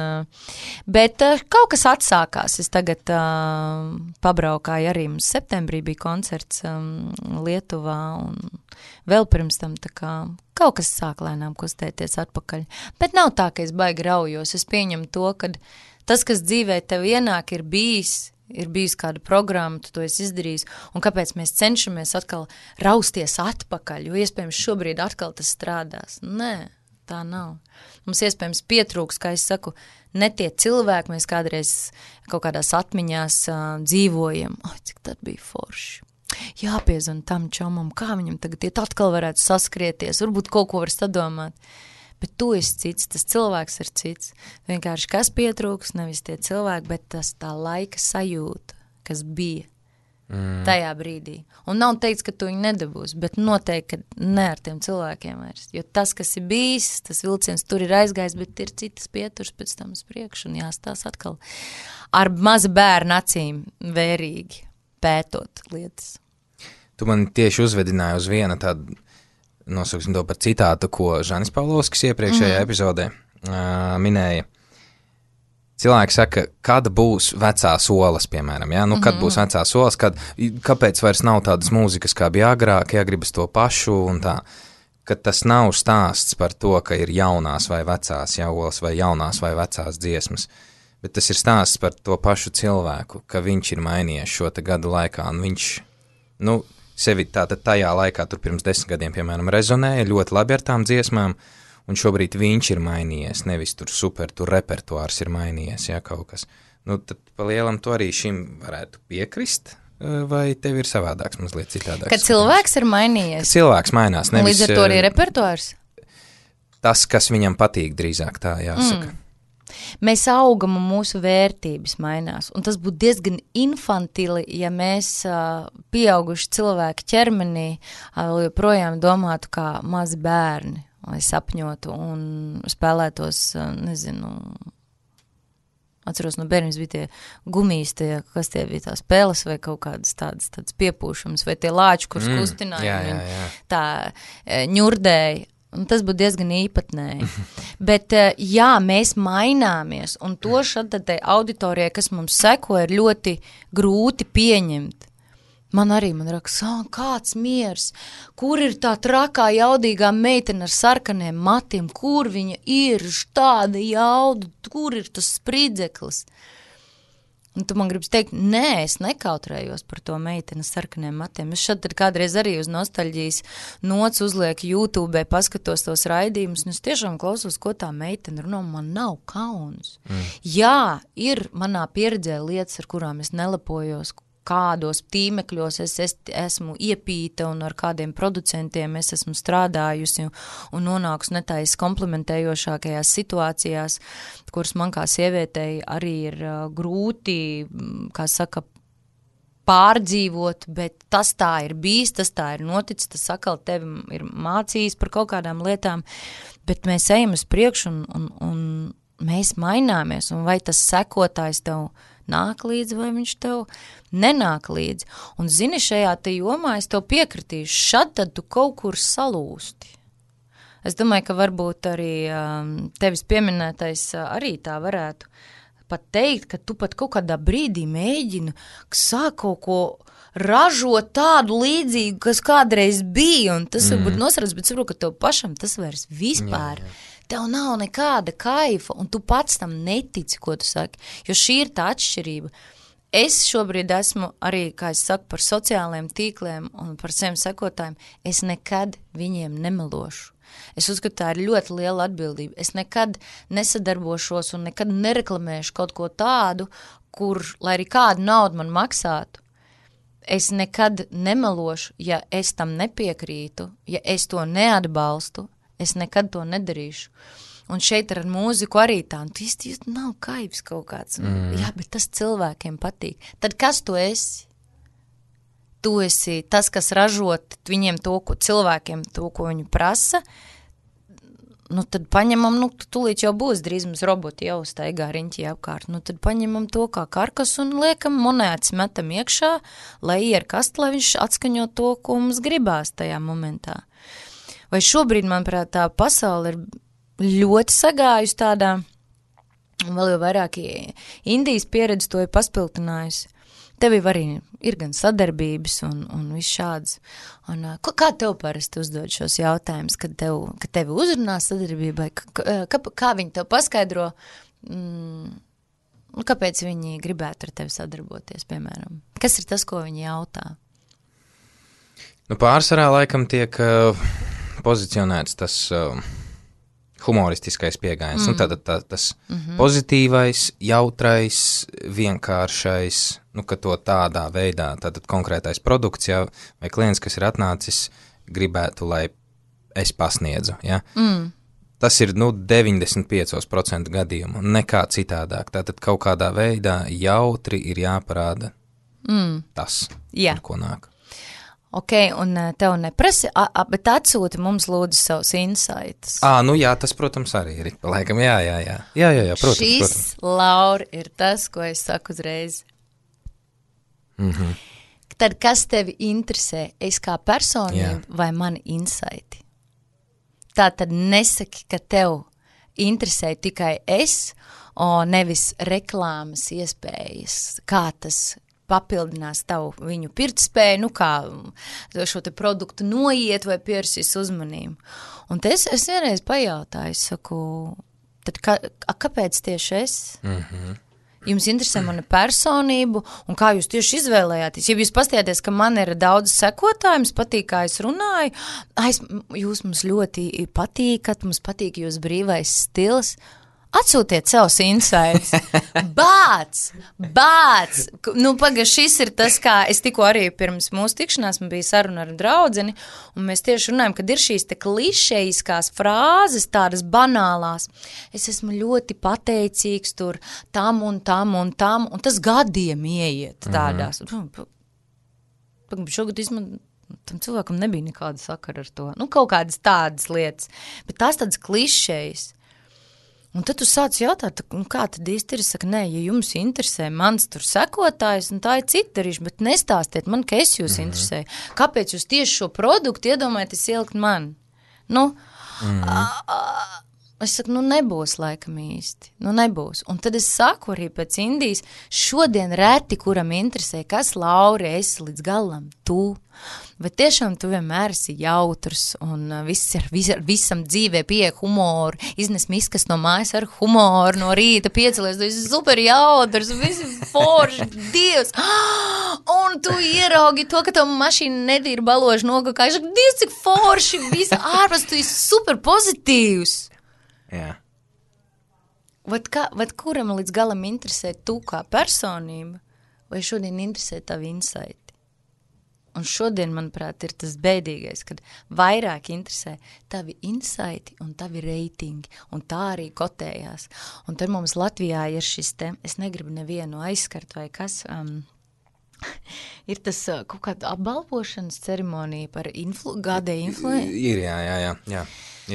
bet kaut kas atsākās. Es tagad uh, pabraukāju arī. Mums septembrī bija koncerts um, Lietuvā un vēl pirms tam tā kā kaut kas sāk lēnām kustēties atpakaļ. Bet nav tā, ka es baigi raujos. Es pieņemu to, ka tas, kas dzīvē tev ienāk, ir bijis, ir bijusi kāda programma, tu to esi izdarījis, un kāpēc mēs cenšamies atkal rausties atpakaļ, jo iespējams šobrīd atkal tas strādās. Nē, tā nav. Mums iespējams pietrūks, kā es saku, ne tie cilvēki, mēs kādreiz kaut kādās atmiņās uh, dzīvojam. Ai, cik tad bija forši. Jāpiezvan tam čomam, kā viņam tagad iet atkal varētu saskrieties, varbūt kaut ko var sadomāt. Bet tu esi cits, tas cilvēks ir cits. Vienkārši kas pietrūks, nevis tie cilvēki, bet tas tā laika sajūta, kas bija mm. tajā brīdī. Un nav teikts, ka tu viņu nedabūsi, bet noteikti, ka ne ar tiem cilvēkiem vairs. Jo tas, kas ir bijis, tas vilciens tur ir aizgājis, bet ir citas pieturs pēc tam uz priekšu un jāstās atkal ar maza bērna acīm vērīgi pētot lietas. Tu man tieši uzvedināji uz viena tādu, nosauksim to par citātu, ko Žanis Pavlovskis iepriekšējā mm. epizodē uh, minēja. Cilvēki saka, kad būs vecās olas, piemēram, ja? Nu, kad mm-hmm. būs vecās olas, kad, kāpēc vairs nav tādas mūzikas, kā bija agrāk, ja gribas to pašu un tā, ka tas nav stāsts par to, ka ir jaunās vai vecās ja, olas vai jaunās vai vecās dziesmas, bet tas ir stāsts par to pašu cilvēku, ka viņš ir mainījies šo te gadu laikā un viņš, nu, sevi tātad tajā laikā, tur pirms desmit gadiem, piemēram, rezonēja ļoti labi ar tām dziesmām, un šobrīd viņš ir mainījies, nevis tur super, tur repertuārs ir mainījies, ja, kaut kas. Nu, tad pa lielam tu arī šim varētu piekrist, vai tev ir savādāks, mazliet citādāks? Kad cilvēks ir mainījies? Kad cilvēks mainās, nevis... Līdz ar to arī repertuārs? Tas, kas viņam patīk, drīzāk tā jāsaka. Mm. Mēs augam un mūsu vērtības mainās, un tas būtu diezgan infantili, ja mēs uh, pieauguši cilvēki ķermenī uh, joprojām domātu kā mazi bērni, lai sapņotu un spēlētos, uh, nezinu, atceros no bērnības bija tie gumijas, tie, kas tie bija tās peles vai kaut kādas tādas, tādas piepūšums, vai tie lāči, kurus mm, kustināja, jā, jā, jā. tā ņurdēja. Un tas būtu diezgan īpatnēji. Bet, jā, mēs maināmies, un to šādai auditorijai, kas mums seko, ir ļoti grūti pieņemt. Man arī, man raks, kāds miers, kur ir tā trakā jaudīgā meitene ar sarkaniem matiem, kur viņa ir, tāda jauda, kur ir tas spridzeklis. Un tu man gribas teikt, nē, es nekautrējos par to meiteni sarkaniem matiem. Es šad tad kādreiz arī uz nostalģijas nots uzlieku YouTube, paskatos tos raidījumus, un es tiešām klausos, ko tā meitene runā, man nav kauns. Mm. Jā, ir manā pieredzē lietas, ar kurām es nelepojos, kādos tīmekļos es, es esmu iepīta un ar kādiem producentiem es esmu strādājusi un, un nonākusi netais komplementējošākajās situācijās, kuras man kā sievietei arī ir uh, grūti, kā saka, pārdzīvot, bet tas tā ir bijis, tas tā ir noticis, tas atkal tevi ir mācījis par kaut kādām lietām, bet mēs ejam uz priekšu un, un, un mēs maināmies, un vai tas sekotājs tev nāk līdzi, vai viņš tev nenāk līdzi. Un zini, šajā te jomā es tev piekritīšu, šad tad tu kaut kur salūsti. Es domāju, ka varbūt arī um, tevis pieminētais uh, arī tā varētu pat teikt, ka tu pat kaut kādā brīdī mēģini sāk kaut ko ražot tādu līdzīgu, kas kādreiz bija, un tas mm. varbūt nosarats, bet saprotu, ka tev pašam tas vairs vispār. Jā, jā. Tev nav nekāda kaifa, un tu pats tam netici, ko tu saki, jo šī ir tā atšķirība. Es šobrīd esmu arī, kā es saku, par sociālajiem tīkliem un par saviem sekotājiem, es nekad viņiem nemelošu. Es uzskatu, tā ir ļoti liela atbildība. Es nekad nesadarbošos un nekad nereklamēšu kaut ko tādu, kur, lai arī kādu naudu man maksātu, es nekad nemelošu, ja es tam nepiekrītu, ja es to neatbalstu, es nekad to nedarīšu. Un šeit ar mūziku arī tā, un tu īsti nav kaivs kaut kāds. Mm. Jā, bet tas cilvēkiem patīk. Tad kas tu esi? Tu esi tas, kas ražot viņiem to, ko cilvēkiem, to, ko viņi prasa. Nu, tad paņemam, nu, tūlīt jau būs drīz mums roboti jau staigā riņķī apkārt. Nu, tad paņemam to kā karkas un liekam monētas, metam iekšā, lai ierkast, lai viņš atskaņo to, ko mums gribās tajā momentā. Vai šobrīd, manuprāt, tā pasaule ir ļoti sagājusi tādā, un vēl jau vairāk Indijas pieredze to ir paspiltinājusi. Tev arī ir gan sadarbības un, un viss šāds. Un, kā tev parasti uzdod šos jautājumus, kad, tev, kad tevi uzrunā sadarbībai? Kā, kā, kā viņi tev paskaidro, mm, nu, kāpēc viņi gribētu ar tevi sadarboties, piemēram? Kas ir tas, ko viņi jautā? Nu, pārsvarā laikam tiek uh, pozicionēts tas uh, humoristiskais pieejams. Mm. Nu, tātad tā, tas mm-hmm. pozitīvais, jautrais, vienkāršais, nu, ka to tādā veidā, tātad konkrētais produkts, ja, vai klients, kas ir atnācis, gribētu, lai es pasniedzu, ja. Mm. Tas ir, nu, deviņdesmit pieci procenti gadījumu, nekā citādāk. Tātad kaut kādā veidā jautri ir jāparāda mm. tas, Jā. ar ko nāk. Ok, un tev neprasa, a, a, bet atsūti mums lūdzu savus insights. Ā, nu jā, tas, protams, arī ir, laikam, jā, jā, jā. Jā, jā, jā, protams, Šis, protams. Laura, ir tas, ko es saku uzreiz. Mhm. Tad, kas tevi interesē, es kā personība Jā. vai mani insighti? Tā tad nesaki, ka tev interesē tikai es, o nevis reklāmas iespējas, kā tas papildinās tavu viņu pirktspēju, nu kā šo te produktu noiet vai piersīs uzmanību. Un te es, es vienreiz pajautāju, es saku, tad kā, kāpēc tieši es? Mhm. Jums interesē mana personību, un kā jūs tieši izvēlējāties? Ja jūs pastījāties, ka man ir daudz sekotāju, jums patīk, kā es runāju, aiz, jūs mums ļoti patīkat, mums patīk jūs brīvais stils, atsūtiet savus insights. Bāc! Bāc! Nu, paga, šis ir tas, kā es tikko arī pirms mūsu tikšanās, man bija saruna ar draudzeni, un mēs tieši runājam, kad ir šīs te klišejiskās frāzes, tādas banālās. Es esmu ļoti pateicīgs tur tam un tam un tam, un tas gadiem ieiet tādās. Mm-hmm. Paga, šogad izman... tam cilvēkam nebija nekāda sakara ar to. Nu, kaut kādas tādas lietas, bet tās tādas klišejas. Un tad tu sāc jautāt, nu kā tad īsti ir, saka, nē, ja jums interesē mans tur sekotājs, un tā ir cita darīša, bet nestāstiet man, ka es jūs mm-hmm. interesēju. Kāpēc jūs tieši šo produktu iedomājaties ielikt man? Nu, mm-hmm. a, a, es saku, nu nebūs laikam īsti, nu nebūs. Un tad es saku arī pēc Indijas, šodien reti, kuram interesē, kas Laura esi līdz galam, tu. Bet tiešām tu vienmēr esi jautrs un viss ar, vis, ar visam dzīvē pieeja humoru, iznes miskas no mājas ar humoru, no rīta piecelies, tu esi super jautrs, visi forši, Dievs. Un tu ieraugi to, ka tavu mašīna nedīra baloži nogakājuši, Dievs, cik forši, visi ārpus, tu esi super pozitīvs. Jā. Vat, kā, vat kuram līdz galam interesē tu kā personība, vai šodien interesē tavi insighti? Un šodien, manuprāt, ir tas bēdīgais, kad vairāk interesē tavi insighti un tavi reitingi, un tā arī kotējās. Un tad mums Latvijā ir šis te, es negribu nevienu aizskart vai kas, um, ir tas uh, kaut kāda apbalvošanas ceremonija par influ, gādē influenci. Ir, jā, jā, jā, jā,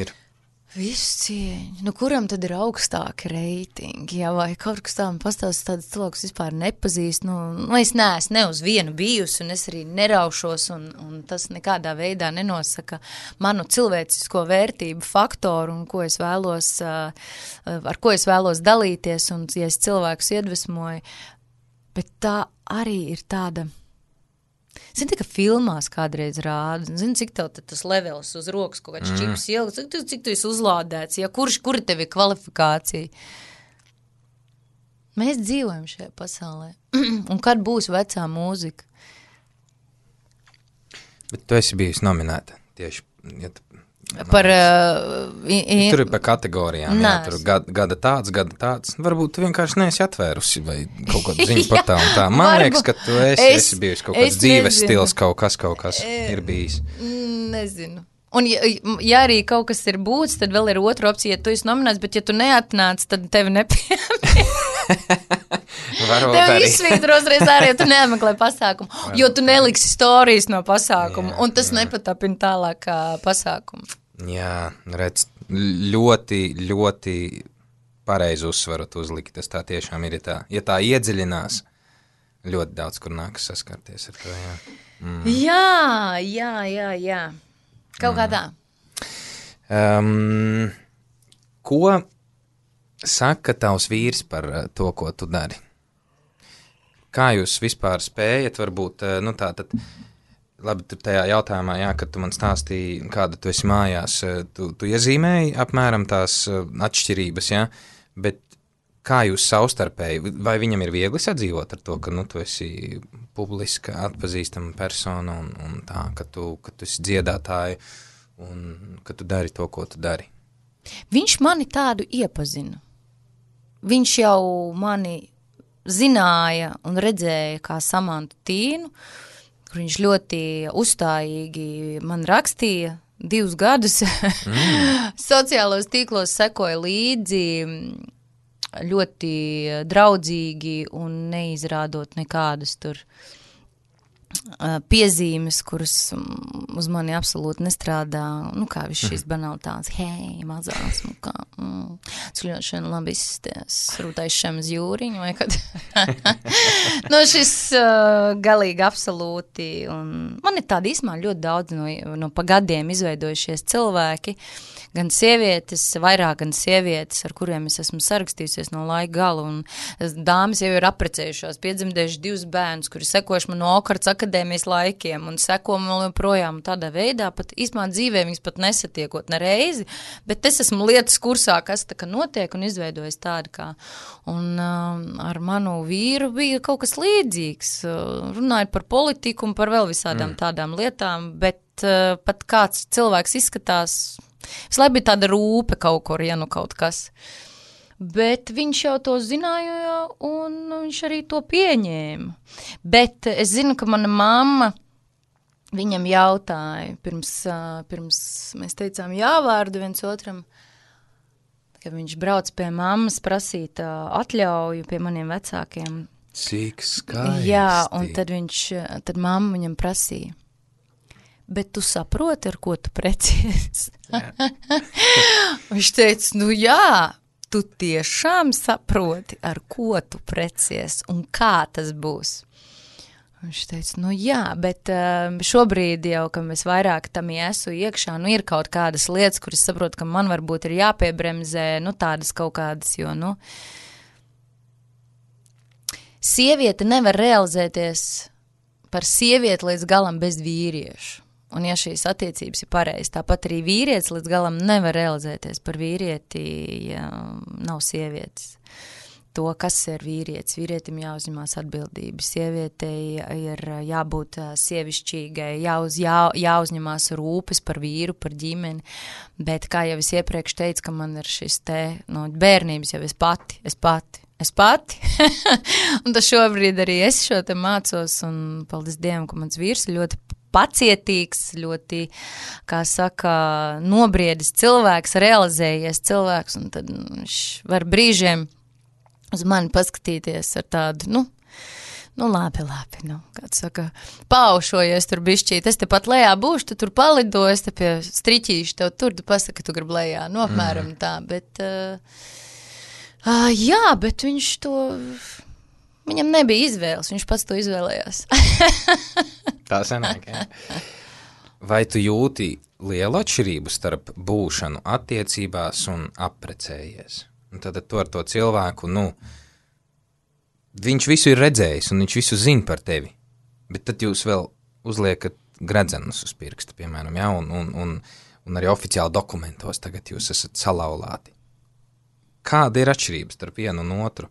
ir. Visu cieņu. Nu, kuram tad ir augstāki reitingi, jā, vai kaut kas tā man pastāst tādas cilvēkus vispār nepazīst, nu, nu es neesmu ne uz vienu bijusi, un es arī neraušos, un, un tas nekādā veidā nenosaka manu cilvēcisko vērtību faktoru, un ko es vēlos, ar ko es vēlos dalīties, un ja es cilvēkus iedvesmoju, bet tā arī ir tāda... Zini, tā, ka filmās kādreiz rāda, zini, cik tev tas levels uz rokas kaut kāds mm. čips ieliks, cik, cik tu esi uzlādēts, ja kurš, kura tev ir kvalifikācija? Mēs dzīvojam šajā pasaulē. Un kad būs vecā mūzika? Bet tu esi bijusi nominēta tieši, ja tu... Par... Uh, i, i, tur ir par kategorijām, jā, tur gada, gada tāds, gada tāds. Varbūt tu vienkārši neesi atvērusi vai kaut kādu ziņu par tā un tā. Man varbūt, liekas, ka tu esi, es, esi bijusi kaut kāds dzīves nezinu. Stils, kaut kas, kaut kas e, ir bijis. Nezinu. Un ja, ja arī kaut kas ir būts, tad vēl ir otra opcija, ja tu esi nominēts, bet ja tu neatnāc, tad tevi nepiemēr. Tev izsvītros reiz arī, ja tu nemeklē pasākumu, varbūt jo tu neliksi storijas no pasākumu, jā, un tas jā. Nepatapina tālāk pasākumu. Jā, redz, ļoti, ļoti pareizi uzsvaru tu uzliki, tas tā tiešām ir, ja tā, ja tā iedziļinās, ļoti daudz, kur nākas saskarties ar to, jā. Mm. Jā, jā, jā, jā. Kaut kā tā. Um, ko saka tavs vīrs par to, ko tu dari? Kā jūs vispār spējat, varbūt, nu tā tad, labi, tur tajā jautājumā, jā, kad tu man stāstīji, kāda tu esi mājās, tu, tu iezīmēji apmēram tās atšķirības, jā, bet kā jūs savstarpēji, vai viņam ir viegli sadzīvot ar to, ka, nu, tu esi publiska, atpazīstama persona un, un tā, ka tu, ka tu esi dziedātāja un ka tu dari to, ko tu dari? Viņš mani tādu iepazina. Viņš jau mani zināja un redzēja kā Samantu Tīnu, kur viņš ļoti uzstājīgi man rakstīja divus gadus. Mm. Sociālos tīklos sekoja līdzi ļoti draudzīgi un neizrādot nekādas tur piezīmes, kuras uz mani absolūti nestrādā, nu kā viss šīs banalitātes, hei, mazās, nu kā, mm, skļot šodien labi izsties, rūtais šiem uz jūriņu, vai kad, nu šis uh, galīgi absolūti, un man ir tādi īsmā ļoti daudz no, no pagadiem izveidojušies cilvēki, gan sievietes, vairāk gan sievietes, ar kuriem es esmu sarakstījusies no laika gala, un dāmas jau ir aprecējušās, piedzimdējuši divus bērnus, kuri sekojuši man no Okarts akadēmijas laikiem, un seko man joprojām tādā veidā, pat īsmā dzīvē viņas pat nesatiekot ne reizi, bet es esmu lietas kursā, kas tā kā notiek un izveidojas tāda kā, un um, ar manu vīru bija kaut kas līdzīgs, uh, runājot par politiku un par vēl visādām mm. tādām lietām, bet uh, pat kāds cilvēks izskatās, visu laiku bija tāda rūpe kaut kur, ja nu kaut kas. Bet viņš jau to zināja, un viņš arī to pieņēma. Bet es zinu, ka mana mamma viņam jautāja, pirms, pirms mēs teicām jāvārdu viens otram, ka viņš brauc pie mammas prasīt atļauju pie maniem vecākiem. Cik skaisti. Jā, un tad viņš, tad mamma viņam prasīja. Bet tu saproti, ar ko tu precies? Viņš teica, nu jā, tu tiešām saproti, ar ko tu precies un kā tas būs. Viņš teica, nu jā, bet um, šobrīd jau, ka mēs vairāk tam iesu iekšā, nu ir kaut kādas lietas, kuras saprotu, ka man varbūt ir jāpiebremzē, nu tādas kaut kādas, jo, nu, sieviete nevar realizēties par sievieti līdz galam bez vīriešu. Un ja šīs attiecības ir pareizas, tāpat arī vīrietis līdz galam nevar realizēties par vīrieti, ja nav sievietes. To, kas ir vīrietis, vīrietim jāuzņemās atbildība, sievietei ir jābūt sievišķīgai, jāuz, jā, jāuzņemās rūpes par vīru, par ģimeni, bet kā jau es iepriekš teicu, ka man ir šis te, no bērnības jau es pati, es pati, es pati, un tas šobrīd arī es šo te mācos, un paldies Dievam, ka mans vīrs ir ļoti pacietīgs, ļoti, kā saka, nobriedis cilvēks, realizējies cilvēks, un tad viņš var brīžiem uz mani paskatīties ar tādu, nu, nu labi, labi, nu, kāds saka, paušojies tur bišķīt, es te pat lejā būšu, tu tur palido, es te pie striķīšu tev tur, tu pasaka, ka tu grib lejā, nu, apmēram mm. tā, bet, uh, uh, jā, bet viņš to, viņam nebija izvēles, viņš pats to izvēlējās. Tā sanāk, jā. Vai tu jūti lielu atšķirību starp būšanu attiecībās un apprecējies? Un tad tu ar to cilvēku, nu, viņš visu ir redzējis un viņš visu zina par tevi, bet tad jūs vēl uzliekat gredzenus uz pirksta, piemēram, jā, un, un, un, un arī oficiāli dokumentos tagad jūs esat salauzāti. Kāda ir atšķirība starp vienu un otru?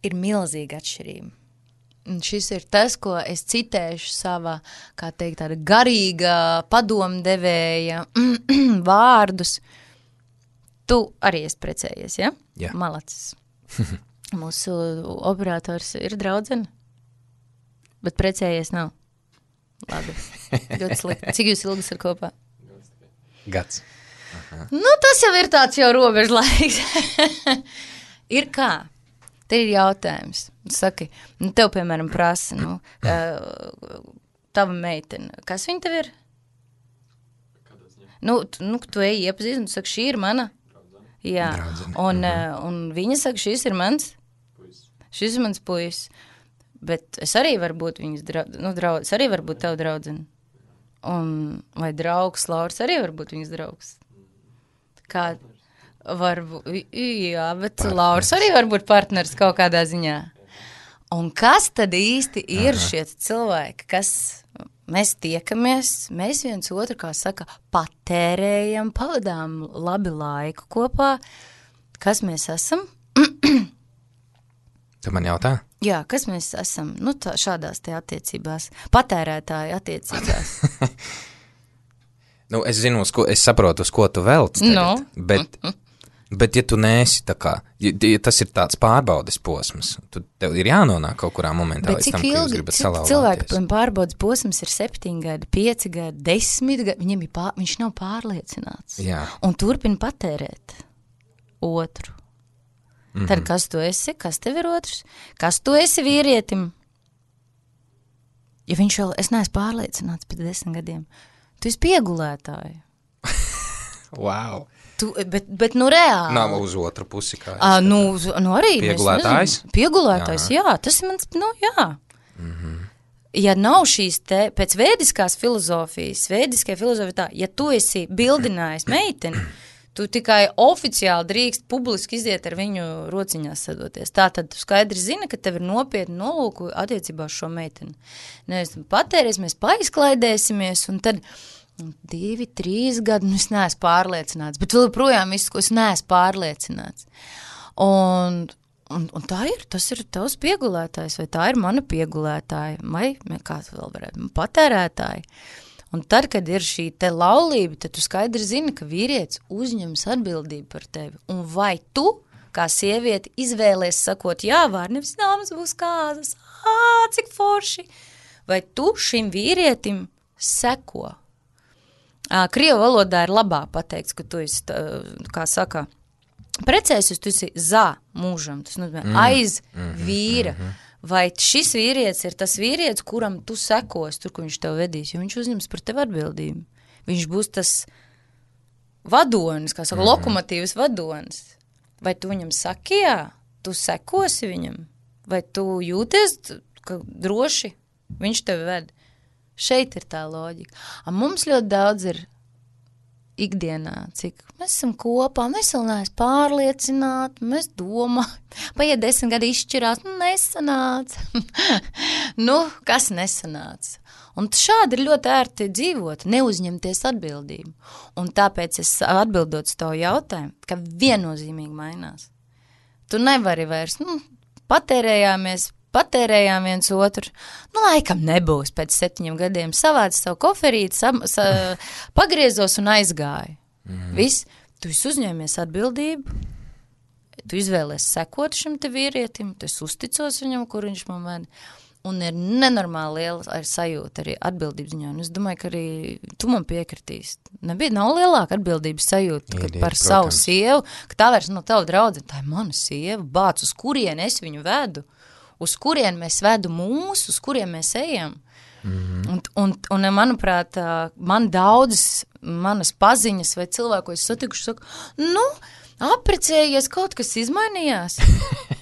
Ir milzīga atšķirība. Un šis ir tas, ko es citēšu savā, kā teikt, tāda garīga padomdevēja vārdus. Tu arī esi precējies, ja? Jā. Malacis. Mūsu operators ir draudzene, bet precējies nav. Labi, ļoti slikti. Cik jūs ilgas ir kopā? Gads. Aha. Nu, tas jau ir tāds jau robežlaiks. Ir kā? Te ir jautājums. Saki, nu, tev, piemēram, prasa, nu, uh, tava meitene, kas viņa tev ir? Nu, tu, nu, tu ej iepazīst, un tu saki, šī ir mana? Draudzene. Jā, Draudzene. Un, uh, un viņa saka, šis ir mans? Puis. Šis ir mans puis. Bet es arī varu būt viņas draudzene, nu, draudz, es arī varu būt tev draudzene. Un, vai draugs, Lauris arī var būt viņas draugs? Kā? Varbūt, jā, bet partners. Lauris arī var būt partners kaut kādā ziņā. Un kas tad īsti ir Aha. šie cilvēki, kas mēs tiekamies, mēs viens otru, kā saka, patērējam, pavadām labi laiku kopā, kas mēs esam? Tu man jautā? Jā, kas mēs esam, nu, tā, šādās te attiecībās, patērētāju attiecībās. Nu, es zinu, uz ko, es saprotu, uz ko tu velc tagad, no. bet, bet ja tu neesi tā kā, ja, ja tas ir tāds pārbaudes posms, tu, tev ir jānonāk kaut kurā momentā bet līdz tam, ilgi, ka jūs gribat salauzāties. Cilvēki pārbaudes posms ir septiņi gadi, pieci gadi, desmit gadi, viņam ir pār, viņš nav pārliecināts. Jā. Un turpina patērēt otru. Mm-hmm. Tad kas tu esi, kas tev ir otrs? Kas tu esi vīrietim? Ja viņš vēl, es neesmu pārliecināts pēc desmit gadiem, tu esi piegulētāji. Wow. Tu, bet, bet nu reāli. Nav uz otru pusi, kā es. À, nu, nu arī. Piegulētājs? Nezinu, piegulētājs, jā. jā. Tas ir mans, nu jā. Mm-hmm. Ja nav šīs te, pēc vēdiskās filozofijas, vēdiskai filozofija tā, ja tu esi bildinājis meiteni, tu tikai oficiāli drīkst publiski iziet ar viņu rociņās sadoties. Tā tad tu skaidri zini, ka tev ir nopietni nolūku attiecībā uz šo meiteni. Nevis patēries, mēs paizklaidēsimies, un tad divi, trīs gadi, nu es neesmu pārliecināts, bet vēl projām visu, ko es neesmu pārliecināts. Un, un, un tā ir, tas ir tavs piegulētājs, vai tā ir mana piegulētāja, vai kāds vēl varētu, patērētāji. Un tad, kad ir šī te laulība, tad tu skaidri zini, ka vīrietis uzņems atbildību par tevi. Un vai tu, kā sievieti, izvēlies sakot jā vārdu, nevis nāmas būs kāzas, ā, cik forši, vai tu šim vīrietim seko? Krievu valodā ir labā pateikts, ka tu esi, kā saka, precēsies, tu esi za mūžam, tas nozīmē mm. aiz mm-hmm, vīra. Mm-hmm. Vai šis vīrietis ir tas vīrietis, kuram tu sekos, tur, kur viņš tev vedīs, jo viņš uzņems par tevi atbildību. Viņš būs tas vadonis, kā saka, mm. lokomotīvas vadonis. Vai tu viņam saki, jā, tu sekosi viņam? Vai tu jūties, ka droši viņš tevi ved? Šeit ir tā loģika. A mums ļoti daudz ir ikdienā, cik mēs esam kopā, mēs vēl neesam pārliecināti, mēs domājam, paiet desmit gadi izšķirās, nu nesanāca. nu, kas nesanāca? Un šādi ir ļoti ērti dzīvot, neuzņemties atbildību. Un tāpēc es atbildot uz tavu jautājumu, ka viennozīmīgi mainās. Tu nevari vairs, nu, patērējāmies, patērējām viens otru, nu, laikam nebūs pēc septiņiem gadiem, savāc savu koferīti, sa, sa, pagriezos un aizgāju. Mm. Viss, tu esi uzņēmies atbildību, tu izvēlies sekot šim te vīrietim, tu esi uzticos viņam, kur viņš man ved, un ir nenormāli liela ar sajūta arī atbildības ziņā, un es domāju, ka arī tu man piekritīs. Nebija, nav lielāka atbildības sajūta ir, par ir, savu sievu, ka tā vairs no tavu draudzene, tā ir mana sieva, bāc, uz kurien es viņu vedu. Uz kurien mēs vedu mūsu, uz kurien mēs ejam. Mm-hmm. Un, un, un, manuprāt, man daudzas manas paziņas vai cilvēku, ko es satikuši, saka, nu, aprecējies, kaut kas izmainījās.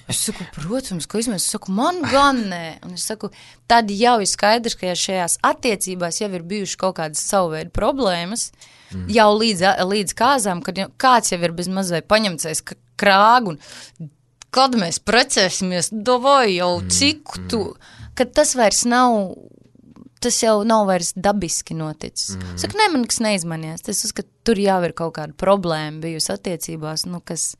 Es saku, protams, ko izmainījās. Es saku, man gan nē. Un es saku, tad jau ir skaidrs, ka ja šajās attiecībās jau ir bijuši kaut kādas savu veidu problēmas, mm. jau līdz, līdz kāzām, kad kāds jau ir bez mazai paņemtais krāgu un kad mēs precēsimies, davai jau cik tu, kad tas vairs nav, tas jau nav vairs dabiski noticis. Mm. Saka, ne, man kas neizmanījās, tas uzskat, tur jau ir kaut kāda problēma bijusi attiecībās, nu, kas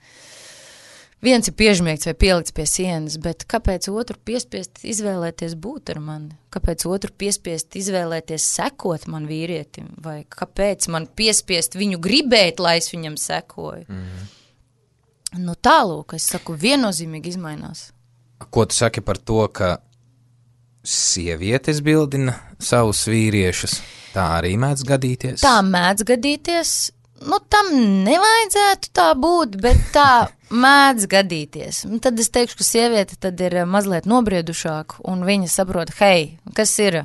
viens ir piežmiegts vai pielikts pie sienas, bet kāpēc otru piespiest izvēlēties būt ar mani? Kāpēc otru piespiest izvēlēties sekot man vīrietim? Vai kāpēc man piespiest viņu gribēt, lai es viņam sekoju? Mm. Nu tālūk, es saku, viennozīmīgi izmainās. Ko tu saki par to, ka sievietes bildina savus vīriešus? Tā arī mēdz gadīties? Tā mēdz gadīties. Nu, tam nevajadzētu tā būt, bet tā mēdz gadīties. Un tad es teikšu, ka sieviete tad ir mazliet nobriedušāka, un viņa saprot, hei, kas ir?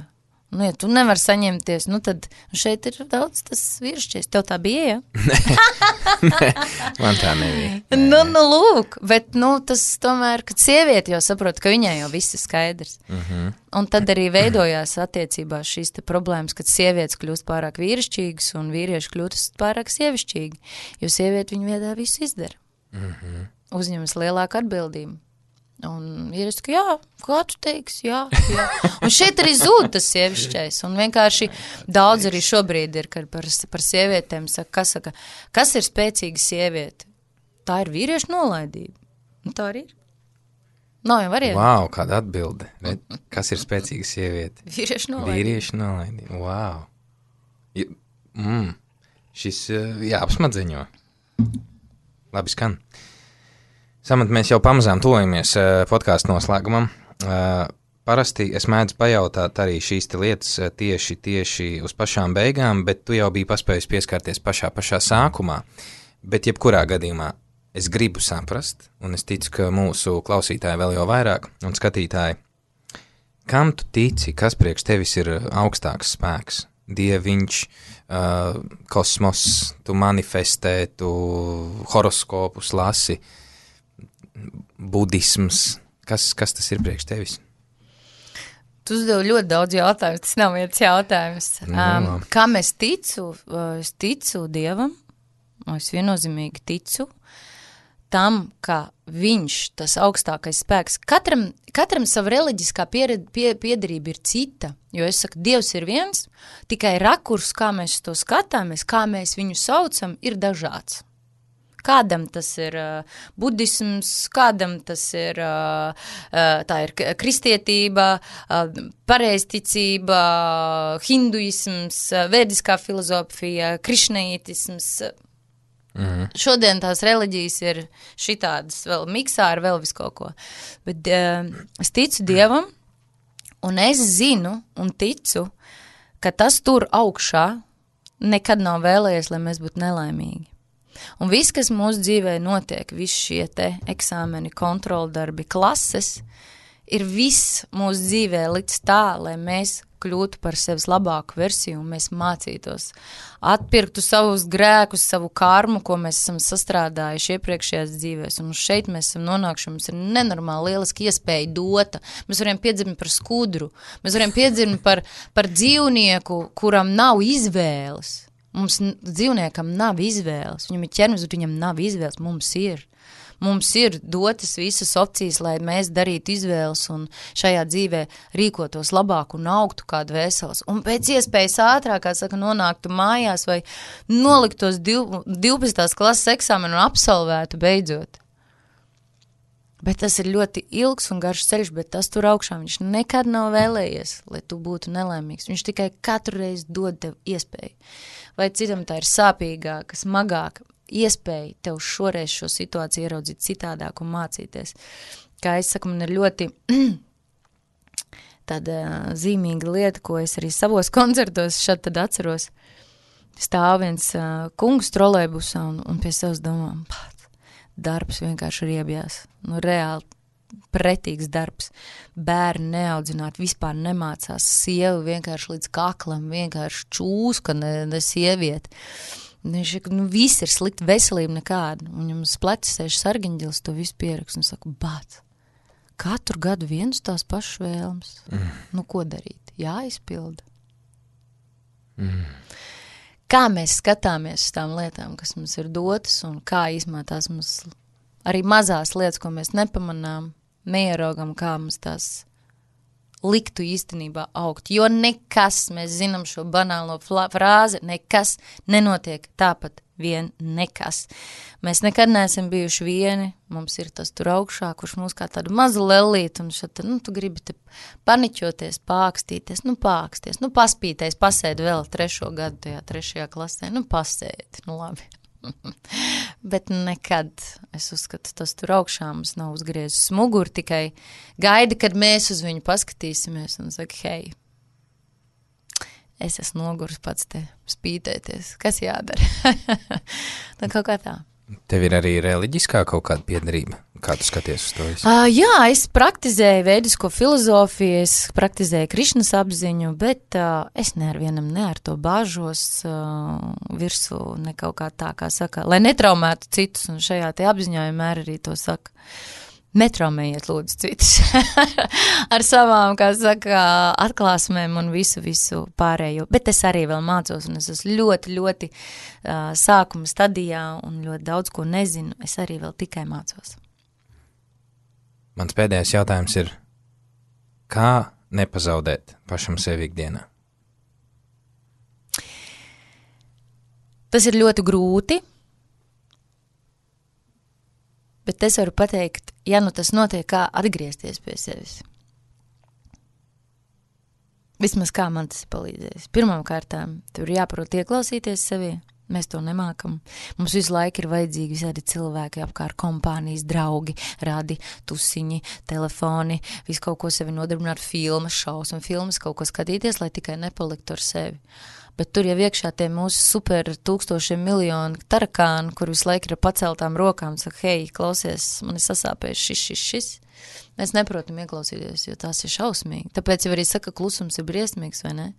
Nu, ja tu nevar saņemties, nu tad šeit ir daudz tas vīrišķies. Tev tā bija, ja? Nē, man tā nebija. Nē, nu, nu, lūk, bet, nu, tas tomēr, kad sieviete jau saprot, ka viņai jau viss ir skaidrs. Uh-huh. Un tad arī veidojās attiecībās šīs te problēmas, kad sievietes kļūst pārāk vīrišķīgas un vīrieši kļūst pārāk sievišķīgi, jo sieviete viņu viedā visu izdara. Uh-huh. Uzņemas lielāku atbildību. Un vīrietis, ka jā, kā tu teiksi, jā, jā. Un šeit arī zūd tas sievišķais. Un vienkārši daudz arī šobrīd ir, kad par, par sievietēm saka, kas, saka, kas ir spēcīga sieviete? Tā ir vīriešu nolaidība. Nu, tā arī ir. Nav jau variantu. Wow, kāda atbilde. Kas ir spēcīga sieviete? Vīrieši nolaidība. Vīrieši nolaidība. Wow. Mm. Šis jāapsmadzeņo. Labi skan. Samat, mēs jau pamazām tojamies podkāstu noslēgumam. Parasti es mēdzu pajautāt arī šīs lietas tieši, tieši uz pašām beigām, bet tu jau biji paspējis pieskarties pašā, pašā sākumā. Bet jebkurā gadījumā es gribu saprast, un es ticu, ka mūsu klausītāji vēl jau vairāk, un skatītāji, kam tu tici, kas priekš tevis ir augstāks spēks? Dieviņš, uh, kosmos, tu manifestē, tu horoskopus lasi, budisms, kas, kas tas ir priekš tevis? Tu uzdevi ļoti daudz jautājumus, tas nav viens jautājums. Um, kam es ticu? Es ticu Dievam, es viennozīmīgi ticu tam, ka viņš, tas augstākais spēks, katram, katram sava reliģiskā piered, pie, piedarība ir cita, jo es saku, Dievs ir viens, tikai rakurs, kā mēs to skatāmies, kā mēs viņu saucam, ir dažāds. Kādam tas ir uh, budisms, kādam tas ir, uh, uh, tā ir kristietība, uh, pareizticība, hinduisms, uh, vēdiskā filozofija, krišneitisms. Mm. Šodien tās reliģijas ir šitādas vēl miksā ar vēl visu kaut ko. Bet uh, es ticu Dievam, un es zinu un ticu, ka tas tur augšā nekad nav vēlējies, lai mēs būtu nelaimīgi. Un viss, kas mūsu dzīvē notiek, visi šie te eksāmeni, kontroldarbi, klases, ir viss mūsu dzīvē līdz tā, lai mēs kļūtu par sevis labāku versiju un mēs mācītos, atpirktu savus grēkus, savu karmu, ko mēs esam sastrādājuši iepriekšējās dzīvēs. Un šeit mēs esam nonākuši, mums ir nenormāli lieliski iespēja dota. Mēs varam piedzimt par skudru, mēs varam piedzimt par, par dzīvnieku, kuram nav izvēles. Mums dzīvniekam nav izvēles, viņam ir ķermenis, bet viņam nav izvēles, mums ir. Mums ir dotas visas opcijas, lai mēs darītu izvēles un šajā dzīvē rīkotos labāk un augtu kādu vēseles. Un pēc iespējas ātrāk, kā saka, nonāktu mājās vai noliktos divpadsmitās klases eksāmenu un absolvētu beidzot. Bet tas ir ļoti ilgs un garš ceļš, bet tas tur augšā viņš nekad nav vēlējies, lai tu būtu nelaimīgs. Viņš tikai katru reizi dod tev iespēju. Vai citam tā ir sāpīgāka, smagāka iespēja tev šoreiz šo situāciju ieraudzīt citādāk un mācīties. Kā es saku, man ir ļoti tāda zīmīga lieta, ko es arī savos koncertos šad tad atceros. Stāv viens uh, kungs trolejbusā un, un pie sevis domā, pat, darbs vienkārši riebjās. Nu, reāli pretīgs darbs. Bērni neaudzināt, vispār nemācās. Sieva vienkārši līdz kaklam, vienkārši čūska, ne, ne sieviete. Viņš ir, nu, viss ir slikti, veselība nekāda. Un viņam uz pleca sēž sargiņģelis, to visu pierakst un saka, bāt, katru gadu vienus tās pašas vēlmes. Mm. Nu, ko darīt? Jāizpilda. Mm. Kā mēs skatāmies uz tām lietām, kas mums ir dotas, un kā īsmā tās mums arī mazās lietas, ko mēs nepamanām, neieraugam, kā mums tās liktu īstenībā augt. Jo nekas, mēs zinām šo banālo frāzi, nekas nenotiek tāpat vien nekas. Mēs nekad neesam bijuši vieni, mums ir tas tur augšā, kurš mūs kā tādu mazu lelīt, un šat, nu, tu gribi te paniķoties, pākstīties, nu, pāksties, nu, paspīties, pasēd vēl trešo gadu tajā trešajā klasē, nu, pasēd, nu, labi. Bet nekad, es uzskatu, tas tur augšā mums nav uzgriezis muguru, tikai gaida, kad mēs uz viņu paskatīsimies un saka, hei, es esmu nogurs pats te spītēties, kas jādara? Tā kaut kā tā. Tev ir arī reliģiskā kaut kāda piedarība? Kā tu skaties uz to visu? Uh, jā, es praktizēju vēdisko filozofiju, es praktizēju Krišnas apziņu, bet uh, es ne ar vienam ne ar to bāžos uh, virsū, ne kaut kā tā, kā saka, lai netraumētu citus, un šajā te apziņā vienmēr arī to saka. Netraumējiet lūdzu citus ar savām, kā saka, atklāsmēm un visu, visu pārējo. Bet es arī vēl mācos, un es esmu ļoti, ļoti uh, sākuma stadijā un ļoti daudz ko nezinu. Es arī vēl tikai mācos. Mans pēdējais jautājums ir, kā nepazaudēt pašam sevi ikdienā? Tas ir ļoti grūti, bet es varu pateikt, ja nu tas notiek, kā atgriezties pie sevis. Vismaz kā man tas ir palīdzējis. Pirmām kārtām, tur jāprot ieklausīties sevī. Mēs to nemākam. Mums visu laiku ir vajadzīgi visādi cilvēki apkārt, kompānijas, draugi, radi, tusiņi, telefoni, visu kaut ko sevi nodarbināt, filmas, šausmu filmas, kaut ko skatīties, lai tikai nepaliktu ar sevi. Bet tur jau iekšā tie mūsu super tūkstošiem miljonu tarakāni, kur visu laiku ir paceltām rokām, saka, hei, klausies, man ir sasāpējis šis, šis, šis. Mēs neprotam ieklausīties, jo tās ir šausmīgi. Tāpēc jau arī saka, klusums ir briesmīgs, vai ne?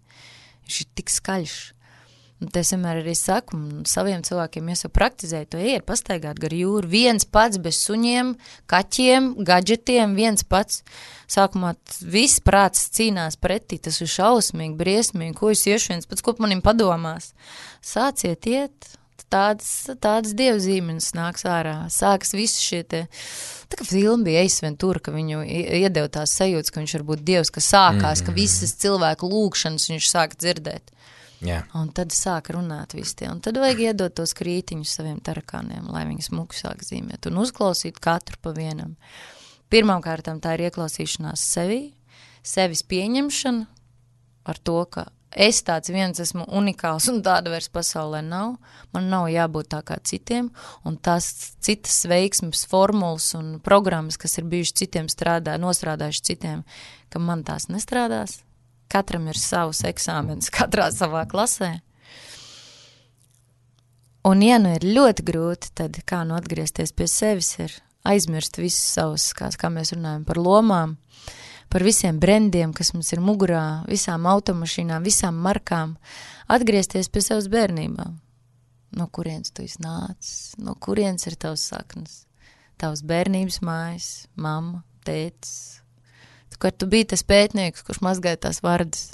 Viņš ir tik skaļš. Un es vienmēr arī saku, saviem cilvēkiem es jau praktizēju, to iet pastaigāt gar jūru, viens pats bez suņiem, kaķiem, gadžetiem, viens pats. Sākumā viss prāts cīnās pretī, tas ir šausmīgi, briesmīgi, ko es iešu viens pats, ko manim padomās. Sāciet iet, tādas, tādas dievzīmenes nāks ārā, sākas visi šie te, tā kā filma bija Ace Ventura, ka viņu iedeva tās sajūtas, ka viņš var būt dievs, ka sākās, mm. ka visas cilvēku lūkšanas viņš sāka dzirdēt. Yeah. Un tad sāk runāt visi tie. Un tad vajag iedot tos krītiņus saviem tarakāniem, lai viņi smuku sāk zīmēt un uzklausīt katru pa vienam. Pirmām kārtām tā ir ieklausīšanās sevī, sevis pieņemšana ar to, ka es tāds viens esmu unikāls un tāda vairs pasaulē nav. Man nav jābūt tā kā citiem. Un tās citas veiksmes, formulas un programmas, kas ir bijuši citiem strādā, nostrādājuši citiem, ka man tās nestrādās. Katram ir savs eksāmenis, katrā savā klasē. Un, ja nu ir ļoti grūti, tad kā nu atgriezties pie sevis ir aizmirst visus savus, kā, kā mēs runājam par lomām, par visiem brendiem, kas mums ir mugurā, visām automašīnām, visām markām, atgriezties pie savas bērnībām. No kurienes tu iznācis, no kurienes ir tavs saknes, tavs bērnības mājas, mamma, tētis, kad tu biji tas pētnieks, kurš mazgāja tās vārdas,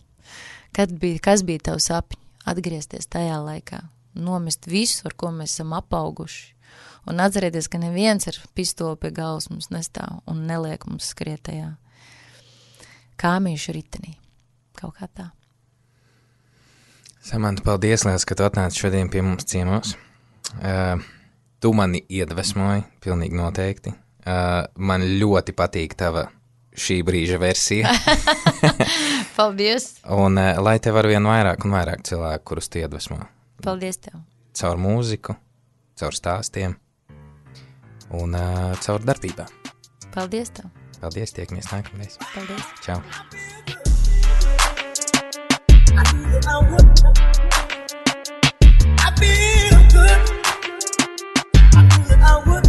kad bija, kas bija tavs sapņi, atgriezties tajā laikā, nomest visu, ar ko mēs esam apauguši, un atcerēties, ka neviens ar pistoli pie galvas mums nestāv un neliek mums skrietajā kāmīšu ritenī, kaut kā tā. Samanta, paldies, liels, ka tu atnāci šodien pie mums ciemos. Uh, tu mani iedvesmoji, pilnīgi noteikti. Uh, man ļoti patīk tava šī brīža versija. Paldies. Un uh, lai tev ar vien vairāk un vairāk cilvēku, kurus tu iedvesmo. Paldies tev. Caur mūziku, caur stāstiem un uh, caur darbībā. Paldies tev. Paldies, tiekamies nākamreiz. Paldies. Čau. I feel good. I feel I would.